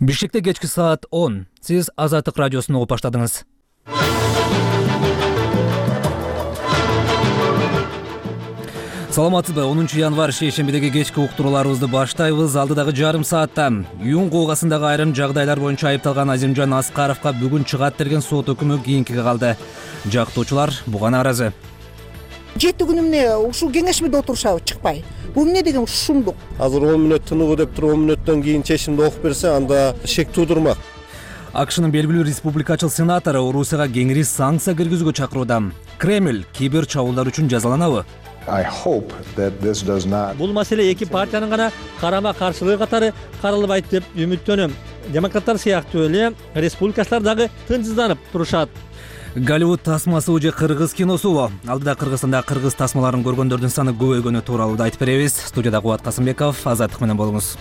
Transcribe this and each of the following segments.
Бишкекте кечки саат 10. Сиз Азаттык радиосун угуп баштадыңыз. Саламатсызбы? 10 январь шейшембидеги кечки уктурууларыбызды баштайбыз. Алдыдагы жарым саатта Юн куугасындагы айрым жагдайлар боюнча айыпталган Азимжан Аскаровго бүгүн чыгат берген сот өкүмү кийинкиге калды. Жактоочулар буга нааразы. 7 күн эмне ушул кеңешмеде отурушабы чыкпай? Бул эмне деген шумдук? Азыр 10 мүнөт тыныгуу деп туруп 10 мүнөттөн кийин чечимди окуп берсе, анда шек туудурмак. АКШнын белгилүү республикачыл сенатору Орусияга кеңири санкция киргизүүгө чакырууда. Кремль кибер чабуулдар үчүн жазаланабы? Бул маселе эки партиянын гана карама каршылыгы катары каралбайт деп үмүттөнөм. Демократтар сыяктуу эле республикачылар дагы тынчсызданып турушат. Голливуд тасмасы же кыргыз киносубу? Алдыда Кыргызстанда кыргыз тасмаларын көргөндөрдүн саны көбөйгөнү тууралуу да айтып беребиз. Студияда Кубат Касымбеков, Азаттык менен болуңуз.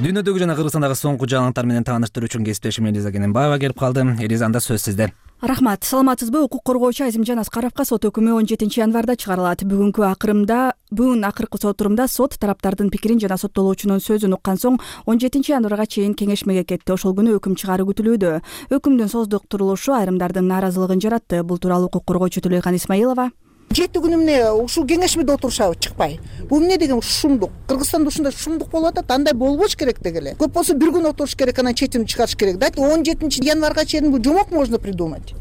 Дүйнөдөгү жана Кыргызстандагы соңку жаңылыктар менен тааныштыруу үчүн кесиптешим Элиза Кененбаева келип калды. Элиза, анда сөз сизде. Рахмат. Саламатсызбы? Укук коргоочу Азимжан Аскаровго сот өкүмү 17 январда чыгарылат. Бүгүн акыркы сот турумда сот тараптардын пикирин жана соттолуучунун сөзүн уккан соң 17 январга чейин кеңешмеге кетти. Ошол күнү өкүм чыгаруу күтүлүүдө. Өкүмдүн создуктурулушу айрымдардын нааразылыгын жаратты. Бул тууралуу укук коргоочу Төлөйкан Исмаилова 7 күн эмне ушул кеңешмеде отурушабы чыкпай? Бул эмне деген шумдук? Кыргызстанда ушундай шумдук болуп атат, андай болбош керек деги эле. Көп болсо bir күн отуруш керек, анан чечим чыгарыш керек. Дайте 17 январга чейин бул жомок можно придумать.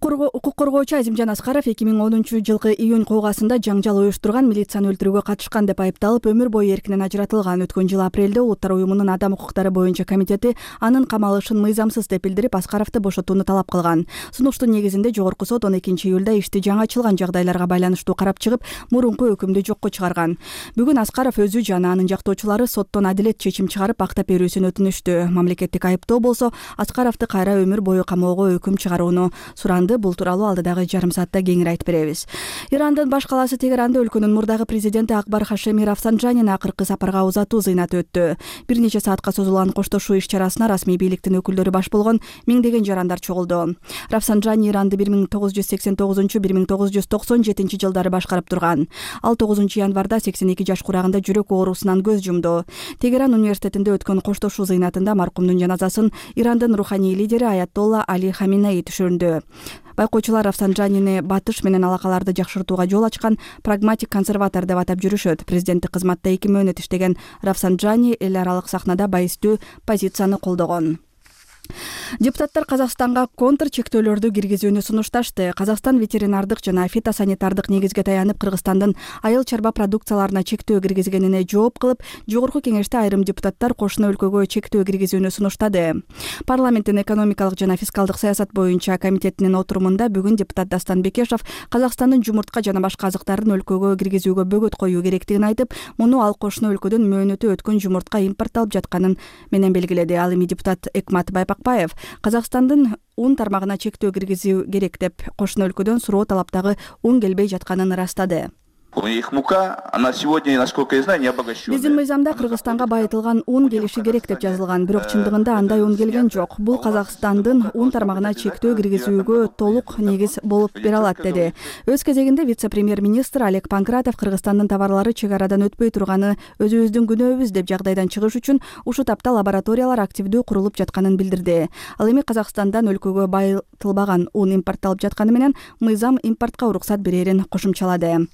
Укук коргоочу Азимжан Аскаров 2010-жылкы июнь куугасында жаңжал уюштурган, милицияны өлтүрүүгө катышкан деп айыпталып, өмүр бою эркинен ажыратылган. Өткөн жылы апрелде Улуттар уюмунун адам укуктары боюнча комитети анын камалышын мыйзамсыз деп билдирип, Аскаровду бошотууну талап кылган. Сунуштун негизинде жогорку сот 12 июлда ишти жаңы ачылган жагдайларга байланыштуу карап чыгып, мурунку өкүмдү жокко чыгарган. Бүгүн Аскаров өзү жана анын жактоочулары соттон адилет чечим чыгарып, актап берүүсүн өтүнүштү. Мамлекеттик айыптоо болсо Аскаровду кайра өмүр бою камоого өкүм чыгарууну суранды. Бул тууралуу алдыдагы жарым саатта кеңири айтып беребиз. Ирандын баш калаасы Тегеранда өлкөнүн мурдагы президенти Акбар Хашеми Рафсанджанин акыркы сапарга узатуу зыйнаты өттү. Бир нече саатка созулган коштошуу иш-чарасына расмий бийликтин өкүлдөрү баш болгон миңдеген жарандар чогулду. Рафсанджани Иранды 1989-1997 жылдары башкарып турган. Ал 9 январда 82 жаш курагында жүрөк оорусунан көз жумду. Тегеран университетинде өткөн коштошуу зыйнатында маркумдун жаназасын Ирандын руханий лидери Аятолла Али Хаминеи түшүрдү. Байкоочулар Рафсанджанини батыш менен алакаларды жакшыртууга жол ачкан прагматик консерватор деп атап жүрүшөт. Президенттик кызматта 2 мөөнөт иштеген Рафсанджани эл аралык сахнада байыстуу позицияны колдогон. Депутаттар Казакстанга контр чектөөлөрдү киргизүүнү сунушташты. Казакстан ветеринардык жана фитосанитардык негизге таянып, Кыргызстандын айыл чарба продукцияларына чектөө киргизгенине жооп кылып, жогорку кеңеште айрым депутаттар кошуна өлкөгө чектөө киргизүүнү сунуштады. Парламенттин экономикалык жана фискалдык саясат боюнча комитетинин отурумунда бүгүн депутат Дастан Бекешов Казакстандын жумуртка жана башка азыктарын өлкөгө киргизүүгө бөгөт коюу керектигин айтып, муну ал кошуна өлкөдөн мөөнөтү өткөн жумуртка импортталып жатканын менен белгиледи. Ал эми депутат Экмат Байпакбаев Казакстандын ун тармагына чектөө киргизүү керек деп, кошуна өлкөдөн суроо талаптагы ун келбей жатканын ырастады. Их мука, она сегодня, насколько я знаю, не обогащенная. Биздин мыйзамда Кыргызстанга байытылган ун келиши керек деп жазылган, бирок чындыгында андай ун келген жок. Бул Казакстандын ун тармагына чектөө киргизүүгө толук негиз болуп бере алат, деди. Өз кезегинде вице-премьер-министр Олег Панкратов Кыргызстандын товарлары чек арадан өтпөй турганы өзүбүздүн күнөөбүз деп, жагдайдан чыгыш үчүн ушу тапта лабораториялар активдүү курулуп жатканын билдирди. Ал эми Казакстандан өлкөгө байытылбаган ун импортталып жатканы менен мыйзам импортко уруксат берерин кошумчалады.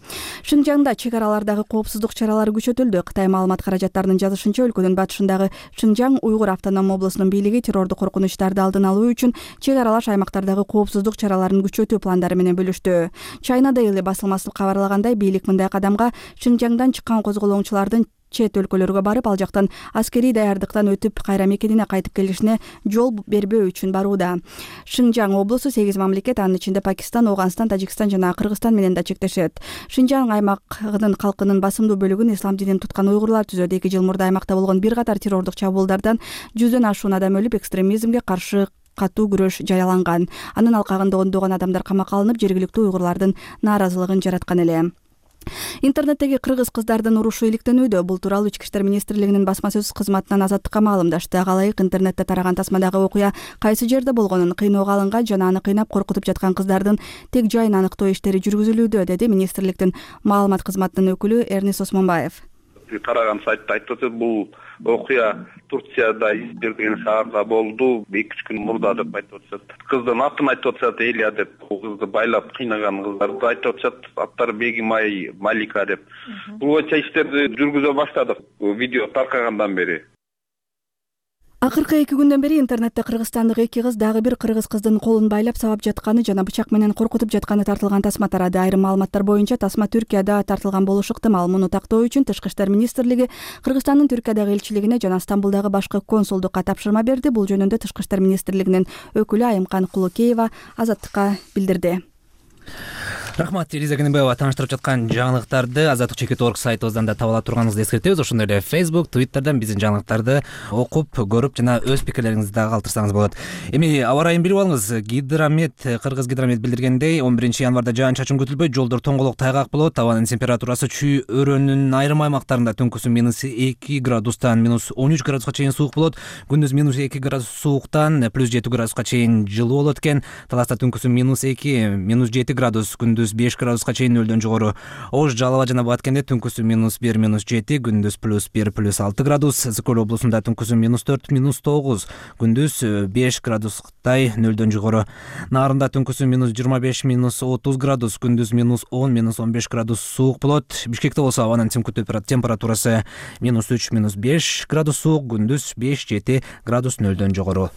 Шинжаңда чек аралардагы коопсуздук чаралары күчөтүлдү. Кытай маалымат каражаттарынын жазышынча, өлкөнүн батышындагы Шинжаң Уйгур автоном облусунун бийлиги террордук коркунучтарды алдын алуу үчүн чек аралаш аймактардагы коопсуздук чараларын күчөтүү пландары менен бөлүштү. China Daily басылмасы кабарлагандай, бийлик мындай кадамга Шинжаңдан чыккан козголоңчулардын чет өлкөлөргө барып, ал жактан аскерий даярдыктан өтүп, кайра мекенине кайтып келишине жол бербөө үчүн барууда. Шинжаң облусу 8 мамлекет, анын ичинде Пакистан, Афганистан, Тажикстан жана Кыргызстан менен да чектешет. Шинжаң аймагынын калкынын басымдуу бөлүгүн ислам динин туткан уйгурлар түзөт. 2 жыл мурда аймакта болгон бир катар террордук чабуулдардан 100дөн ашуун адам өлүп, экстремизмге каршы катуу күрөш жарыяланган. Анын алкагында ондогон адамдар камакка алынып, жергиликтүү уйгурлардын нааразылыгын жараткан эле. Интернеттеги кыргыз кыздардын урушу иликтенүүдө. Бул тууралуу Ички иштер министрлигинин басма сөз кызматынан Азаттыкка маалымдашты. Галайык интернетте тараган тасмадагы окуя кайсы жерде болгонун, кыйноого алынган жана аны кыйнап коркутуп жаткан кыздардын тег жайын аныктоо иштери жүргүзүлүүдө, деди министрликтин маалымат кызматынын өкүлү Эрнис Осмонбаев. тараган сайтта айтып атат, бул окуя Турцияда деген шаарда болду 2-3 күн мурда деп айтып атышат. Кыздын атын айтып атышат, Элия деп. Бул кызды байлап кыйнаган кыздарды айтып атышат. Аттары Бегимай, Малика деп. Бул боюнча иштерди жүргүзө баштадык видео таркагандан бери. Акыркы 2 күндөн бери интернетте кыргызстандык 2 кыз дагы бир кыргыз кыздын колун байлап сабап жатканы жана бычак менен коркутуп жатканы тартылган тасма тарады. Айрым маалыматтар боюнча тасма Түркияда тартылган болушу ыктымал. Муну тактоо үчүн Тышкы иштер министрлиги Кыргызстандын Түркиядагы элчилигине жана Стамбулдагы башкы консулдукка тапшырма берди. Бул жөнүндө Тышкы иштер министрлигинин өкүлү Айымкан Кулукеева Азаттыкка билдирди. Рахмат, Элиза Кенебаева тааныштырып жаткан жаңылыктарды Азаттык.org сайтыбыздан да таба ала турганыңызды эскертебиз. Ошондой эле Facebook, Twitter'дан биздин жаңылыктарды окуп, көрүп жана өз пикирлериңизди дагы калтырсаңыз болот. Эми аба ырайын билип алыңыз. Кыргыз гидромет билдиргендей, 11 январда жаан-чачын күтүлбөйт, жолдор тоңголок тайгак болот. Абанын температурасы чүй өрөөнүн айрым аймактарында түнкүсү -2 градустан -13 градуска чейин суук болот. Күндүз -2 градус сууктан +7 градуска чейин жылуу болот экен. Таласта түнкүсү -2, -7 градус, күндүз 5 градуска чейин нөлдөн жогору. Ош, Жалала жана Баткенде түнкүсү -1, -7, күндүз +1, +6 градус. Сыкөл облусунда түнкүсү -4, -9, күндүз 5 градустай нөлдөн жогору. Нарында түнкүсү -25, -30 градус, күндүз -10, -15 градус суук болот. Бишкекте болсо абанын температурасы -3, -5 градус суук, күндүз 5-7 градус нөлдөн жогору.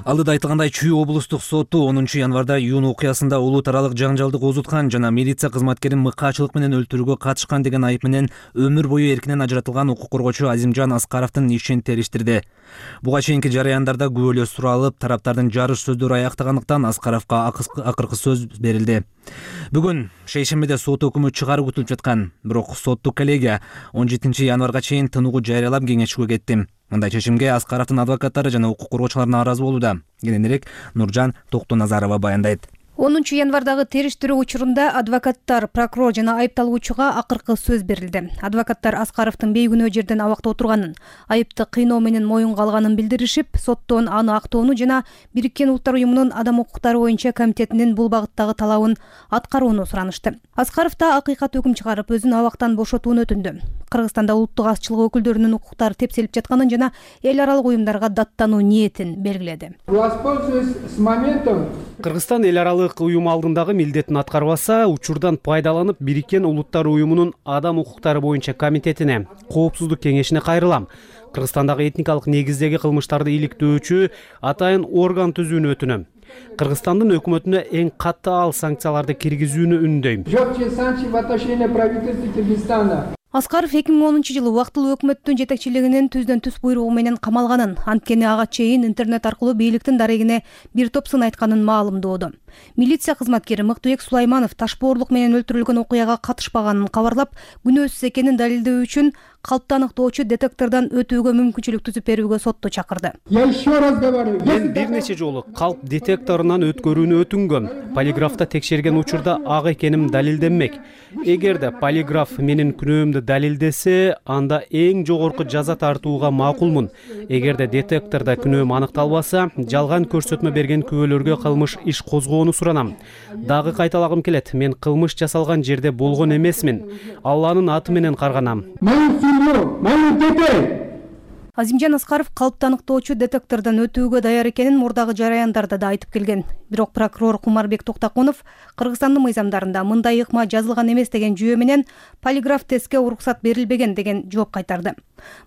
Алдыда айтылгандай, Чүй облустук соту 10 январда июнь окуясында улут аралык жаңжалды козуткан жана милиция кызматкерин мыкаачылык менен өлтүрүүгө катышкан деген айып менен өмүр бою эркинен ажыратылган укук коргоочу Азимжан Аскаровдун ишин териштирди. Буга чейинки жарыяндарда күбөлөр суралып, тараптардын жарыш сөздөрү аяктагандыктан Аскаровго акыркы сөз берилди. Бүгүн шейшембиде сот өкүмү чыгаруу күтүлүп жаткан, бирок соттук коллегия 17 январга чейин тынуугу жарыялап кеңешүүгө кетти. Мындай чечимге Аскаровдун адвокаттары жана укук коргоочулар нааразы болууда. Кененирээк Нуржан Токтоназарова баяндайт. 10 январдагы териштирүү учурунда адвокаттар, прокурор жана айыпталуучуга акыркы сөз берилди. Адвокаттар Аскаровдун бейкүнөө жерден абакта отурганын, айыпты кыйноо менен моюнга алганын билдиришип, соттон аны актоону жана Бириккен Улуттар уюмунун адам укуктары боюнча комитетинин бул багыттагы талабын аткарууну суранышты. Аскаров да акыйкат өкүм чыгарып, өзүн абактан бошотууну өтүндү. Кыргызстанда улуттук азчылык өкүлдөрүнүн укуктары тепселип жатканын жана эл аралык уюмдарга даттануу ниетин белгиледи. Кыргызстан эл аралык уюм алдындагы милдетин аткарбаса, учурдан пайдаланып Бириккен Улуттар уюмунун адам укуктары боюнча комитетине, коопсуздук кеңешине кайрылам. Кыргызстандагы этникалык негиздеги кылмыштарды иликтөөчү атайын орган түзүүнү өтүнөм. Кыргызстандын өкмөтүнө эң катаал санкцияларды киргизүүнү үндөйм. Аскаров 2010-жылы убактылуу өкмөттүн жетекчилигинин түздөн-түз буйругу менен камалганын, анткени ага чейин интернет аркылуу бийликтин дарегине бир топ сын айтканын маалымдоодо. Милиция кызматкери Мыктыбек Сулайманов ташбоорлук менен өлтүрүлгөн окуяга катышпаганын кабарлап, күнөөсүз экенин далилдөө үчүн калпты аныктоочу детектордон өтүүгө мүмкүнчүлүк түзүп берүүгө сотто чакырды. Мен бир нече жолу калп детекторунан өткөрүүнү өтүнгөм. Полиграфта текшерген учурда ак экеним далилденмек. Эгерде полиграф менин күнөөмдү далилдесе, анда эң жогорку жаза тартууга макулмун. Эгерде детектордо күнөөм аныкталбаса, жалган көрсөтмө берген күбөлөргө кылмыш иш козгоону суранам. Дагы кайталагым келет, мен кылмыш жасалган жерде болгон эмесмин. Алланын аты менен карганам. Азимжан Аскаров калпты аныктоочу детектордон өтүүгө даяр экенин мурдагы жараяндарда да айтып келген. Бирок прокурор Кумарбек Токтакунов Кыргызстандын мыйзамдарында мындай ыкма жазылган эмес деген жүйө менен полиграф тестке уруксат берилбеген деген жооп кайтарды.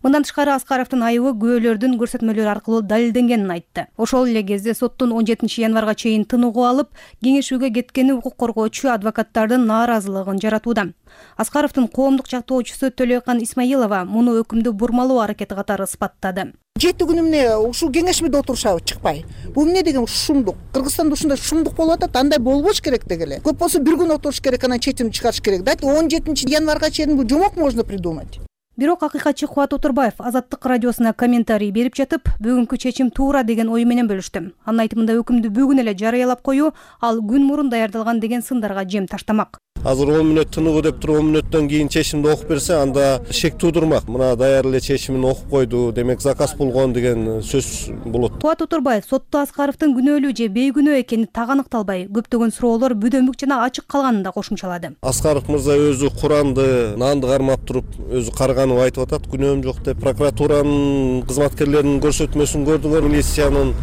Мындан тышкары Аскаровдун айыбы күбөлөрдүн көрсөтмөлөрү аркылуу далилденгенин айтты. Ошол эле кезде соттун 17 январга чейин тынуугу алып, кеңешүүгө кеткени укук коргоочу адвокаттардын нааразылыгын жаратууда. Аскаровдун коомдук жактоочусу Төлөкан Исмаилова муну өкүмдү бурмалоо аракети катары ыспаттады. 7 күн эмне ушул кеңешмеде отурушабы чыкпай. Бул эмне деген шумдук. Кыргызстанда ушундай шумдук болуп атат, андай болбош керек дегеле. Көп болсо бир күн отуруш керек, анан чечим чыгарыш керек. Дайте 17 январга чейин бул жомок можно придумать. Бирок акыйкатчы Кубат Отурбаев Азаттык радиосуна комментарий берип жатып, бүгүнкү чечим туура деген ою менен бөлүштү. Анын айтымында өкүмдү бүгүн эле жарыялап коюу ал күн мурун даярдалган деген сындарга жем таштамак. Азыр 10 мүнөт тыныгуу деп туруп 10 мүнөттөн кийин чечимди окуп берсе, анда шек туудурмак. Мына даяр эле чечимин окуп койду, демек заказ болгон деген сөз болот. Кубат Отурбаев сотто Аскаровдун күнөөлүү же бейкүнөө экени так аныкталбай, көптөгөн суроолор бүдөмүк жана ачык калганын да кошумчалады. Аскаров мырза өзү Куранды, нанды кармап туруп, өзү карганып айтып атат, күнөөм жок деп. Прокуратуранын кызматкерлеринин көрсөтмөсүн көрдүңөр, милициянын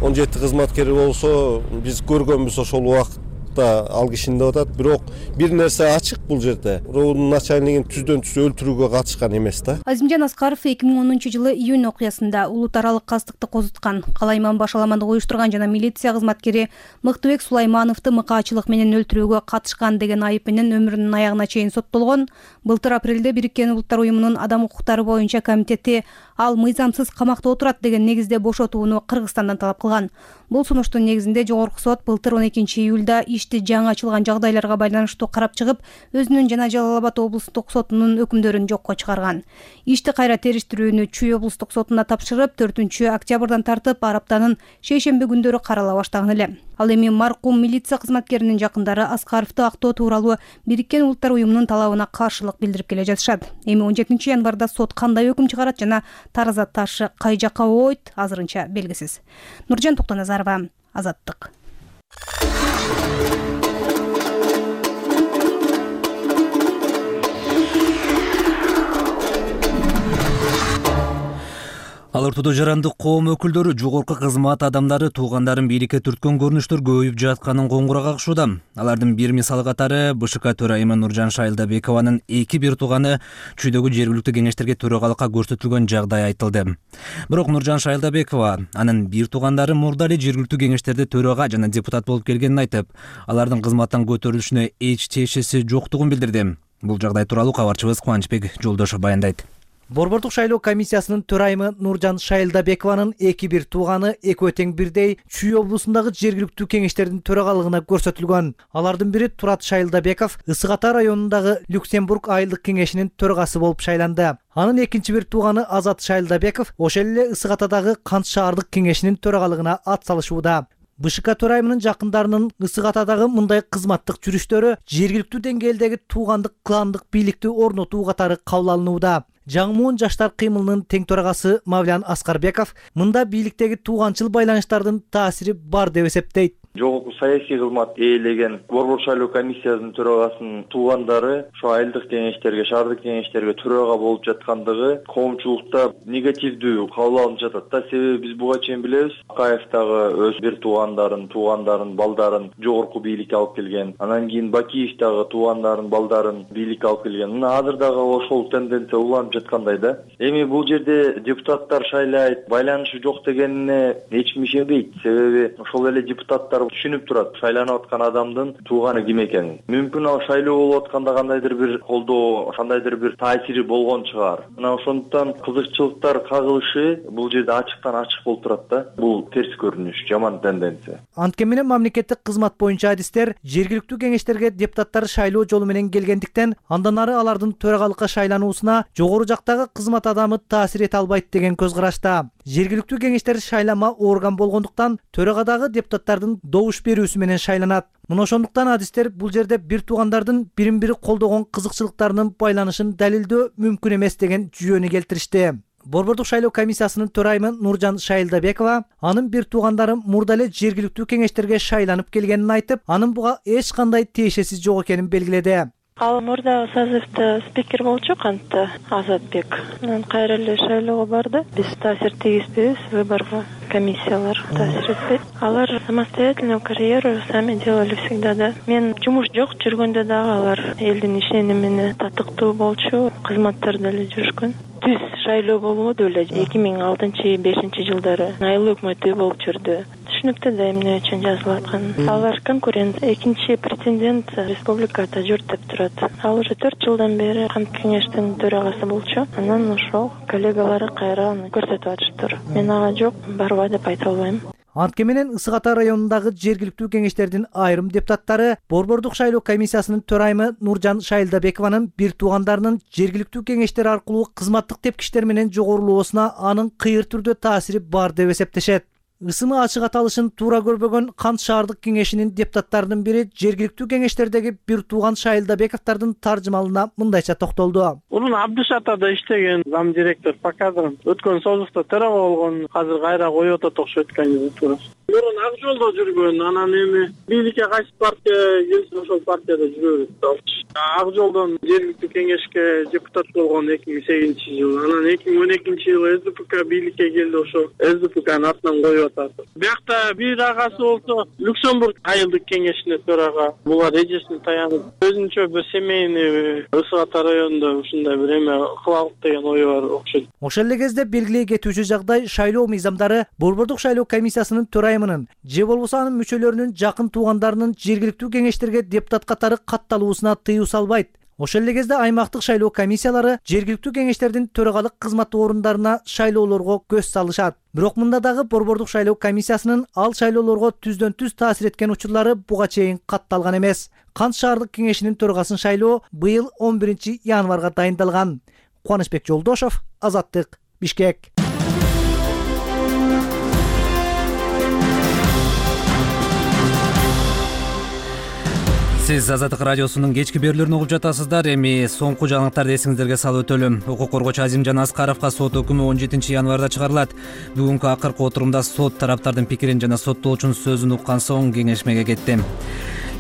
17 кызматкери болсо, биз көргөнбүз ошол убакытта ал кишини деп атат. Бирок бир нерсе ачык бул жерде. Роудун начальнигин түздөн түз өлтүрүүгө катышкан эмес да. Азимжан Аскаров 2010-жылы июнь окуясында улут аралык кастыкты козуткан, Калайман башаламандык уюштурган жана милиция кызматкери Мыктыбек Сулаймановду мыкаачылык менен өлтүрүүгө катышкан деген айып менен өмүрүнүн аягына чейин соттолгон. Былтыр апрелде Бириккен Улуттар уюмунун адам укуктары боюнча комитети ал мыйзамсыз камакта отурат деген негизде бошотууну Кыргызстандан талап кылган. Бул сунуштун негизинде жогорку сот былтыр 12 июлда ишти жаңы ачылган жагдайларга байланыштуу карап чыгып, өзүнүн жана Жалал Абад облустук сотунун өкүмдөрүн жокко чыгарган. Ишти кайра териштирүүнү Чүй облустук сотуна тапшырып, 4-октябрдан тартып ар аптанын шейшемби күндөрү карала баштаган эле. Ал эми маркум милиция кызматкеринин жакындары Аскаровду актоо тууралуу Бириккен Улуттар уюмунун талабына каршылык билдирип келе жатышат. Эми 17 январда сот кандай өкүм чыгарат жана тараза ташы кай жакка ойт, азырынча белгисиз. Нуржан Токтоназарова, Азаттык. Ал ортодо жарандык коом өкүлдөрү жогорку кызмат адамдары туугандарын бийликке түрткөн көрүнүштөр көбөйүп жатканын коңгуроо кагышууда. Алардын бир мисалы катары БШК төрайымы Нуржан Шайылдабекованын 2 тууганы Чүйдөгү жергиликтүү кеңештерге төрагалыкка көрсөтүлгөн жагдай айтылды. Бирок Нуржан Шайылдабекова анын бир туугандары мурда эле жергиликтүү кеңештерде төрага жана депутат болуп келгенин айтып, алардын кызматтан көтөрүлүшүнө эч тиешеси жоктугун билдирди. Бул жагдай тууралуу кабарчыбыз Кубанычбек Жолдошов баяндайт. Борбордук шайлоо комиссиясынын төрайымы Нуржан Шайылдабекованын 2 тууганы экөө тең бирдей Чүй облусундагы жергиликтүү кеңештердин төрагалыгына көрсөтүлгөн. Алардын бири Турат Шайылдабеков Ысык Ата районундагы Люксембург айылдык кеңешинин төрагасы болуп шайланды. Анын экинчи бир тууганы Азат Шайылдабеков ошол эле Ысык Атадагы Кант шаардык кеңешинин төрагалыгына ат салышууда. БШК төрайымынын жакындарынын Ысык Атадагы мындай кызматтык жүрүштөрү жергиликтүү деңгээлдеги туугандык кландык бийликти орнотуу катары кабыл алынууда. Жаңмуун жаштар кыймылынын тең төрагасы Мавлян Аскарбеков мында бийликтеги тууганчыл байланыштардын таасири бар деп эсептейт. Жогорку саясий кызмат ээлеген Борбор шайлоо комиссиясынын төрагасынын туугандары ошо айылдык кеңештерге, шаардык кеңештерге төрага болуп жаткандыгы коомчулукта негативдүү кабыл алынып жатат да. Себеби биз буга чейин билебиз, Акаев дагы өз бир туугандарын, балдарын жогорку бийликке алып келген. Анан кийин Бакиев дагы туугандарын, балдарын бийликке алып келген. Мына азыр дагы ошол тенденция уланып жаткандай да. Эми бул жерде депутаттар шайлайт, байланышы жок дегенине эч ишенбейт. Себеби ошол эле депутаттар түшүнүп турат шайланып аткан адамдын тууганы ким экенин. Мүмкүн ал шайлоо болуп атканда кандайдыр бир колдоо, кандайдыр бир таасири болгон чыгар. Мына ошондуктан кызыкчылыктар кагылышы бул жерде ачыктан ачык болуп турат да. Бул терс көрүнүш, жаман тенденция. Анткени менен мамлекеттик кызмат боюнча адистер жергиликтүү кеңештерге депутаттар шайлоо жолу менен келгендиктен андан ары алардын төрагалыкка шайлануусуна жогору жактагы кызмат адамы таасир эте албайт деген көз карашта. Жергиликтүү кеңештер шайлама орган болгондуктан төрагадагы депутаттардын добуш берүүсү менен шайланат. Мына ошондуктан адистер бул жерде бир туугандардын бирин бири колдогон кызыкчылыктарынын байланышын далилдөө мүмкүн эмес деген жүйөнү келтиришти. Борбордук шайлоо комиссиясынын төрайымы Нуржан Шайылдабекова анын бир туугандары мурда эле жергиликтүү кеңештерге шайланып келгенин айтып, анын буга эч кандай тиешеси жок экенин белгиледи. Ал мурда созывда спикер болчу Кантта Азатбек. Анан кайра эле шайлоого барды. Биз таасир тийгизбейбиз выборго, комиссиялар таасир этпейт. Алар самостоятельную карьеру сами делали всегда да. Мен жумуш жок жүргөндө дагы алар элдин ишенимине татыктуу болчу, кызматтарда эле жүрүшкөн. Түз шайлоо болбоду эле 2006-2005 жылдары айыл өкмөтү болуп жүрдү. Түшүнүктүү да эмне үчүн жазылып аткан. Алар конкурент, экинчи претендент республикада жүрт деп турат. Ал уже 4 жылдан бери Кант кеңештин төрагасы болчу. Анан ошол коллегалары кайра аны көрсөтүп атыштыр. Мен ага жок, барба деп айта албайм. Антке менен Ысык Ата районундагы жергиликтүү кеңештердин айрым депутаттары Борбордук шайлоо комиссиясынын төрайымы Нуржан Шайлдабекованын бир туугандарынын жергиликтүү кеңештер аркылуу кызматтык тепкичтер менен жогорулоосуна анын кыйыр түрдө таасири бар деп эсептешет. Ысымы ачык аталышын туура көрбөгөн Кант шаардык кеңешинин депутаттарынын бири жергиликтүү кеңештердеги бир тууган Шайлдабековдордун таржымалына мындайча токтолду. Мурун Абдыш Атада иштеген зам директор по кадрам өткөн созукта төрага болгон, азыр кайра коюп атат окшойт кандидатурасы. Мурун Ак Жолдо жүргөн, анан эми бийликке кайсы партия келсе ошол партияда жүрө берет. Ак Жолдон жергиликтүү кеңешке депутат болгон 2008-жылы, анан 2012-жылы СДПК бийликке келди, ошо СДПКнын атынан коюп атат. Биякта бир агасы болсо Люксембург айылдык кеңешине төрага. Булар эжесине таянып, өзүнчө бир семейный Ысык Ата районунда ушундай бир эме кылалык деген ою бар окшойт. Ошол эле кезде белгилей кетүүчү жагдай шайлоо мыйзамдары Борбордук шайлоо комиссиясынын төрайымынын же болбосо анын мүчөлөрүнүн жакын туугандарынын жергиликтүү кеңештерге депутат катары катталуусуна тыюу салбайт. Ошол эле кезде аймактык шайлоо комиссиялары жергиликтүү кеңештердин төрагалык кызмат орундарына шайлоолорго көз салышат. Бирок мында дагы Борбордук шайлоо комиссиясынын ал шайлоолорго түздөн түз таасир эткен учурлары буга чейин катталган эмес. Кант шаардык кеңешинин төрагасын шайлоо быйыл 11 январга дайындалган. Кубанычбек Жолдошов, Азаттык, Бишкек. Сиз Азаттык радиосунун кечки берүүлөрүн угуп жатасыздар. Эми соңку жаңылыктарды эсиңиздерге салып өтөлүм. Укук коргоочу Азимжан Аскаровго сот өкүмү 17 январда чыгарылат. Бүгүнкү акыркы отурумда сот тараптардын пикирин жана соттолуучунун сөзүн уккан соң кеңешмеге кетти.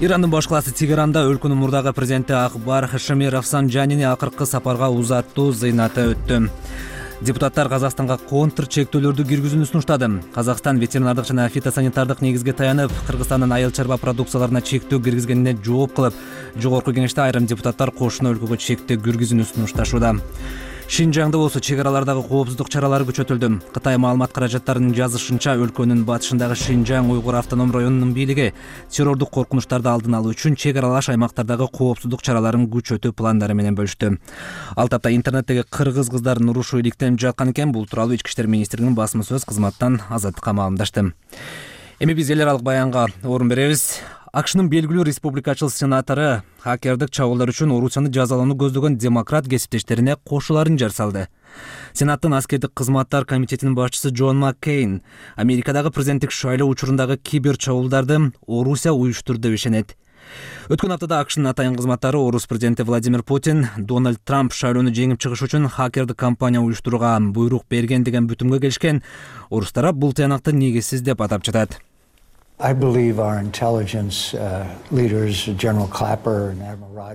Ирандын баш калаасы Тегеранда өлкөнүн мурдагы президенти Акбар Хашеми Рафсанджанини акыркы сапарга узаттуу зыйнаты өттү. Депутаттар Казакстанга контр чектөөлөрдү киргизүүнү сунуштады. Казакстан ветеринардык жана фитосанитардык негизге таянып, Кыргызстандын айыл чарба продукцияларына чектөө киргизгенине жооп кылып, жогорку кеңеште айрым депутаттар кошуна өлкөгө чектөө киргизүүнү сунушташууда. Шинжаңда болсо чек аралардагы коопсуздук чаралары күчөтүлдү. Кытай маалымат каражаттарынын жазышынча, өлкөнүн батышындагы Шинжаң уйгур автоном районунун бийлиги террордук коркунучтарды алдын алуу үчүн чек аралаш аймактардагы коопсуздук чараларын күчөтүү пландары менен бөлүштү. Ал тапта интернеттеги кыргыз кыздардын урушу иликтенип жаткан экен. Бул тууралуу Ички иштер министринин басма сөз кызматтан Азаттыкка маалымдашты. Эми биз эл аралык баянга орун беребиз. АКШнын белгилүү республикачыл сенатору хакердик чабуулдар үчүн Орусияны жазалоону көздөгөн демократ кесиптештерине кошуларын жар салды. Сенаттын аскердик кызматтар комитетинин башчысы Джон Маккейн Америкадагы президенттик шайлоо учурундагы кибер чабуулдарды Орусия уюштурду деп ишенет. Өткөн аптада АКШнын атайын кызматтары Орус президенти Владимир Путин Дональд Трамп шайлоону жеңип чыгыш үчүн хакердик компания уюштурууга буйрук берген деген бүтүмгө келишкен. Орус тарап бул тыянакты негизсиз деп атап жатат.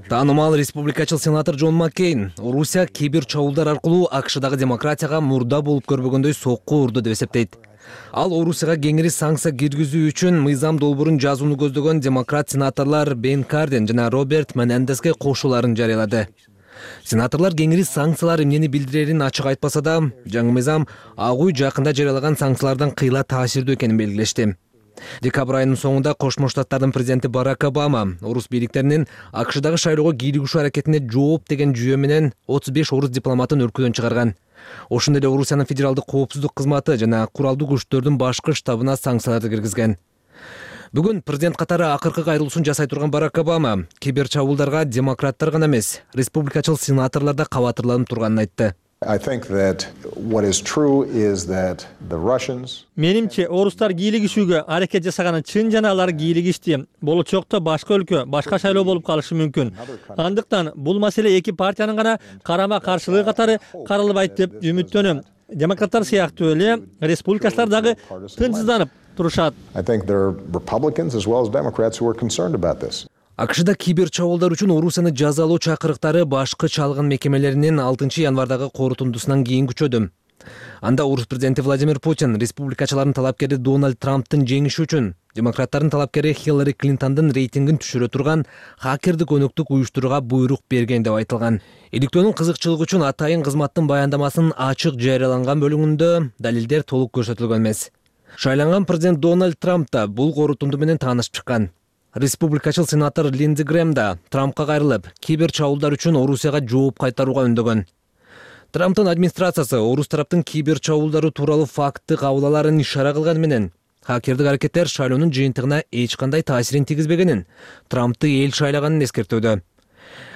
Таанымал республикачыл сенатор Джон Маккейн Орусия кибер чабуулдар аркылуу АКШдагы демократияга мурда болуп көрбөгөндөй сокку урду деп эсептейт. Ал Орусияга кеңири санкция киргизүү үчүн мыйзам долбоорун жазууну көздөгөн демократ сенаторлор Бен Карден жана Роберт Менендеске кошуларын жарыялады. Сенаторлор кеңири санкциялар эмнени билдирерин ачык айтпаса да, жаңы мыйзам ак үй жакында жарыялаган санкциялардан кыйла таасирдүү экенин белгилешти. Декабрь айынын соңунда Кошмо Штаттардын президенти Барак Обама орус бийликтеринин АКШдагы шайлоого кийлигишүү аракетине жооп деген жүйө менен 35 орус дипломатын өлкөдөн чыгарган. Ошондой эле Орусиянын федералдык коопсуздук кызматы жана куралдуу күчтөрдүн башкы штабына санкцияларды киргизген. Бүгүн президент катары акыркы кайрылуусун жасай турган Барак Обама кибер чабуулдарга демократтар гана эмес, республикачыл сенаторлор да кабатырланып турганын айтты. Менимче орустар кийлигишүүгө аракет жасаганы чын жана алар кийлигишти. Болочокто башка өлкө, башка шайлоо болуп калышы мүмкүн. Андыктан бул маселе эки партиянын гана карама каршылыгы катары каралбайт деп үмүттөнөм. Демократтар сыяктуу эле республикачылар дагы тынчсызданып турушат. АКШда кибер чабуулдар үчүн Орусияны жазалоо чакырыктары башкы чалгын мекемелеринин 6 январдагы корутундусунан кийин күчөдү. Анда Орус президенти Владимир Путин республикачылардын талапкери Дональд Трамптын жеңиши үчүн демократтардын талапкери Хиллари Клинтондун рейтингин түшүрө турган хакердик өнөктүк уюштурууга буйрук берген деп айтылган. Иликтөөнүн кызыкчылыгы үчүн атайын кызматтын баяндамасынын ачык жарыяланган бөлүгүндө далилдер толук көрсөтүлгөн эмес. Шайланган президент Дональд Трамп да бул корутунду менен таанышып чыккан. Республикачыл сенатор Линдзи Грэм да Трампка кайрылып, кибер чабуулдар үчүн Орусияга жооп кайтарууга үндөгөн. Трамптын администрациясы орус тараптын кибер чабуулдары тууралуу факты кабыл аларын ишара кылганы менен хакердик аракеттер шайлоонун жыйынтыгына эч кандай таасирин тийгизбегенин, Трампты эл шайлаганын эскертүүдө.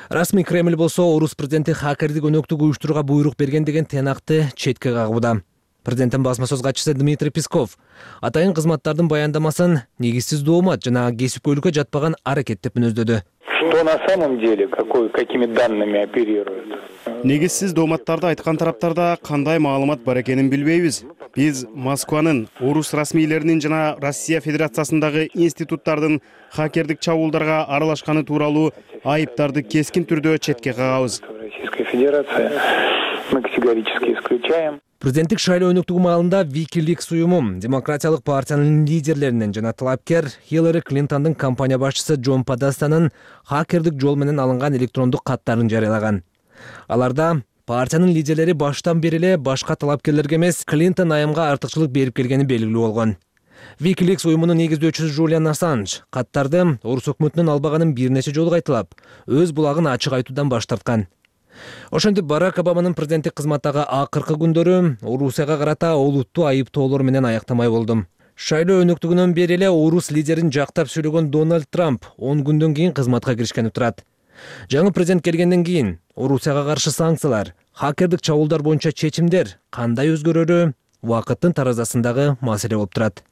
Расмий Кремль болсо орус президенти хакердик өнөктүк уюштурууга буйрук берген деген тыйнакты четке кагууда. Президенттин басма сөз катчысы Дмитрий Песков атайын кызматтардын баяндамасын негизсиз доомат жана кесипкөйлүккө жатпаган аракет деп мүнөздөдү. Что на самом деле, какими данными оперируют? Негизсиз дооматтарды айткан тараптарда кандай маалымат бар экенин билбейбиз. Биз Москванын, орус расмийлеринин жана Россия Федерациясындагы институттардын хакердик чабуулдарга аралашканы тууралуу айыптарды кескин түрдө четке кагабыз. Российская Федерация мы категорически исключаем. Президенттик шайлоо өнөктүгү маалында Wikileaks уюму демократиялык партиянын лидерлеринен жана талапкер Хиллари Клинтондун компания башчысы Джон Подастанын хакердик жол менен алынган электрондук каттарын жарыялаган. Аларда партиянын лидерлери баштан бери эле башка талапкерлерге эмес, Клинтон айымга артыкчылык берип келгени белгилүү болгон. Wikileaks уюмунун негиздөөчүсү Жулиан Ассанж каттарды орус өкмөтүнүн албаганын бир нече жолу кайталап, өз булагын ачык айтуудан баш тарткан. Ошентип Барак Обаманын президенттик кызматтагы акыркы күндөрү Орусияга карата олуттуу айыптоолор менен аяктамай болду. Шайлоо өнөктүгүнөн бери эле орус лидерин жактап сүйлөгөн Дональд Трамп 10 күндөн кийин кызматка киришкени турат. Жаңы президент келгенден кийин Орусияга каршы санкциялар, хакердик чабуулдар боюнча чечимдер кандай өзгөрөрү убакыттын таразасындагы маселе болуп турат.